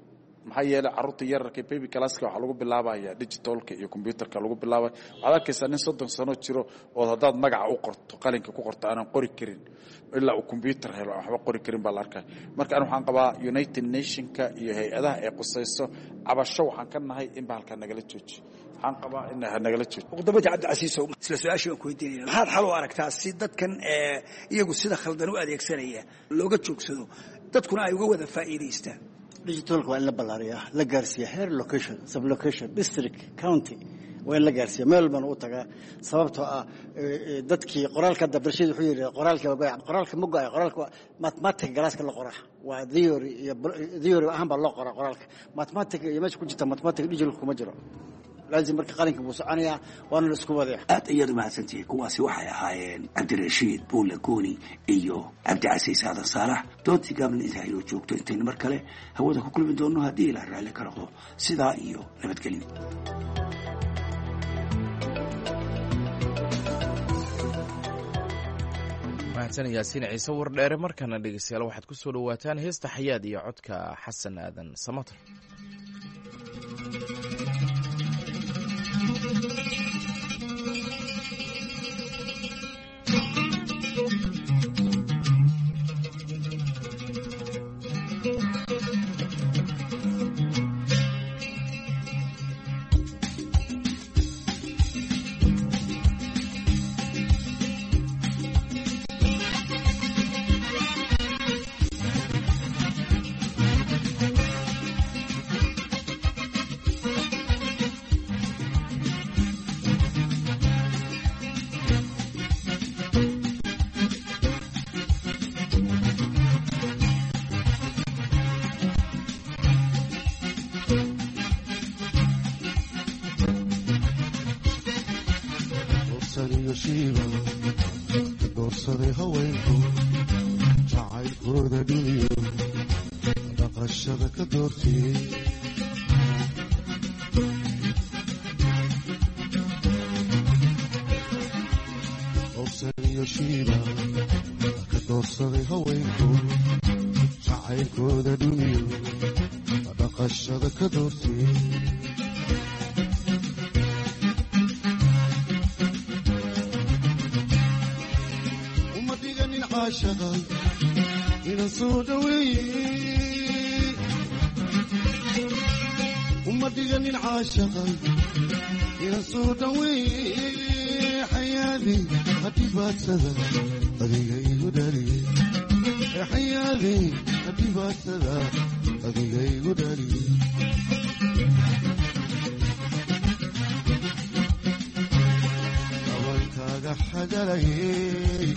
maxaa yeelay carruurta yararka baby classka waxaa lagu bilaabaya digitalka iyo computerka lagu bilaabaya. Waxaad arkaysaa nin 30 sano jiro oo haddaad magaca u qorto qalinka ku qorto aanan qori karin, ilaa uu computer helo aan waxba qori karin baa la arkaya. Marka ani waxaan qabaa United Nationka iyo hay-adaha ay qusayso cabasho waxaan ka nahay in bahalkaa nagala joojiyo. Waxaan qabaa in nagala joojiyo. Ugu dambeyntii Cabdicasiisow, isla su-aashii baan ku weydiinaya, maxaad xal u aragtaa si dadkan iyagu sida khaldan u adeegsanaya looga joogsado, dadkuna ay uga wada faa'iidaystaan? Digitalka waa in la ballaariyaa, la gaarsiiya heer location, sublocation, district, county, waa in la gaarsiiya meel walbana u tagaa. Sababtoo ah dadkii qoraalka hadda Barshiid wuxuu yidhi qoraalka waa go'ay. Qoraalka ma go'ay. Qoraalka mathematic galaaska la qoraa waa theory iyo theory ahaan baa loo qoraa qoraalka. Mathematic iyo meesha ku jirta mathematic digitalka kuma jiro. Laazim marka qalinka buu soconayaa, waana la isku wadaya. Aad ayaad umahadsantihiin. Kuwaasi waxay ahaayeen Cabdirashiid Buule Gooni iyo Cabdicasiis Aadan Saalax. Doodii gaabna inta aynoo joogto intaynu mar kale hawada ku kulmi doonno haddii ilaa raalli ka noqdo, sidaa iyo nabadgelyo. Mahadsan Yaasiin Ciise Wardheere. Markana dhegeystayaal waxaad ku soo dhowaataan heesta Xayaad iyo codka Xasan Aadan Samater. Dhowrsaniyo shiiba ka doorsaday haweenku jacaylkooda dhumiyo dhaqashada ka doortiyey. Dhowrsaniyo shiiba ka doorsaday haweenku jacaylkooda dhumiyo dhaqashada ka doortiyey. Uma dhiganin caashaqa inaan soo dhaweeye, uma dhiganin caashaqa inaan soo dhaweeye. Xayaadi hadhibaadsada adiga igu dhaliye, xayaadi hadhibaadsada adiga igu dhaliye. Dhabankaaga xagalayey,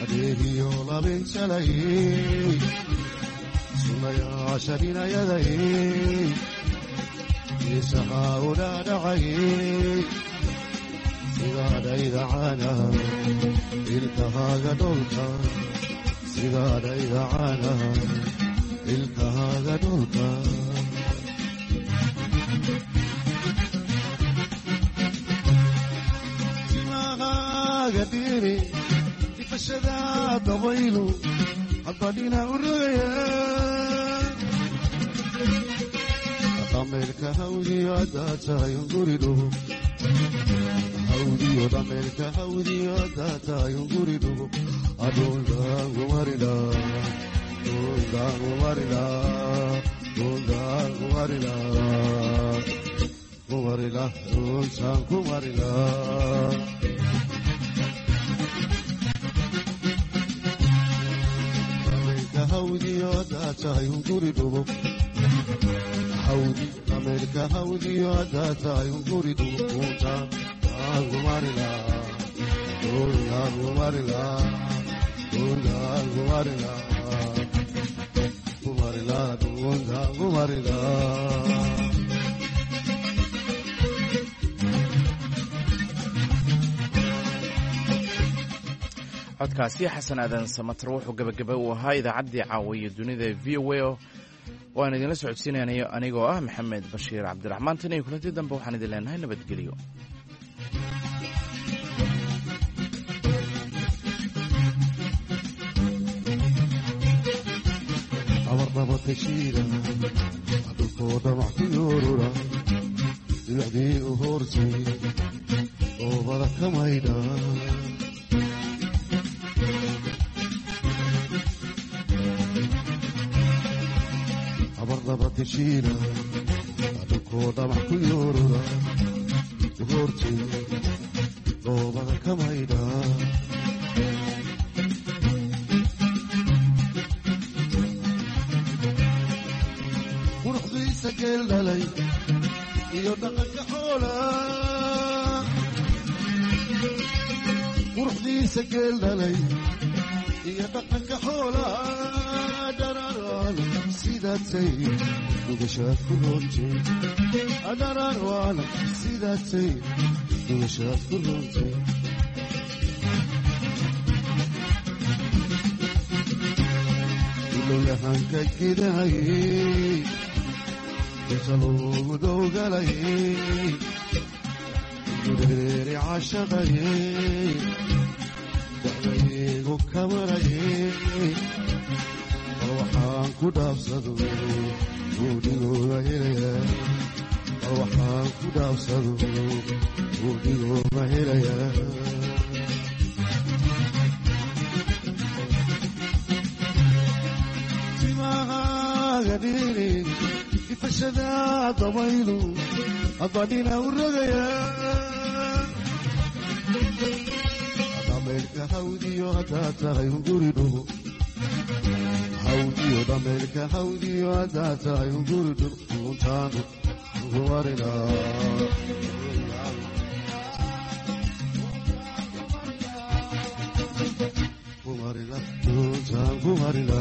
adeegiyo labin jalayey, sunayaasha dhinayadayey, isahaa u dhaadhacayey, sidaadhaydacaana ilkahaaga dholka, sidaadhaydacaana ilkahaaga dholka. Timahaaga dhiri difashada dabaylu hadba dhina u rogaya, dhameelka hawdiyo haddaa tahay unguri dhugo, hawdiyo dhameelka hawdiyo haddaa tahay unguri dhugo, adhuundaangumarila dhundaangumarila dhundaangumarila kumarila dhuntaan kumarila. Dhameelka hawdiyo haddaa tahay unguri dhugo, hawdi dhameelka hawdiyo haddaa tahay unguri dhugo, dhuntaan aangumarila dhundaangumarila dhundaangumarila kumarila dhundaangumarila. Codkaasi Xasan Aadan Samatar wuxuu gabagaba u ahaa idaacaddii caawiya dunida V O A oo aan idinla socodsiinaynayo anigoo ah Maxamed Bashiir Cabdiraxmaan. Tan iyo kulanti dambe waxaan idin leenahay nabadgelyo. Abardhabatashiida dhulkoo dhamac ku yoorura, dibacdii u hoortay oobada ka maydha. Abardhabatashiida dhulkoo dhamac ku yoorura, u hoortay oobada ka maydha. Quruxdiisa geel dhalay iyo dhaqanka xoola, quruxdiisa geel dhalay iyo dhaqanka xoola, dharaarwaal sidaatay dhugashaad ku roontay, dharaarwaal sidaatay dhugashaad ku roontay. Ilowyahanka gidahayey inta loogu dowgalayey, gureeri cashaqayey, dacdaygu kamarayey, bal waxaan ku dhaafsado buudhigooda helaya, bal waxaan ku dhaafsado buudhigooda helaya. Timahaaga dhiri ifashada dabaylu hadba dhina u rogaya, dhameelka hawdiyo haddaa tahay unguri dhugo, hawdiyo dhameelka hawdiyo haddaa tahay unguri dhugo, dhuuntaanu ugumarina kumarila dhuuntaan kumarila.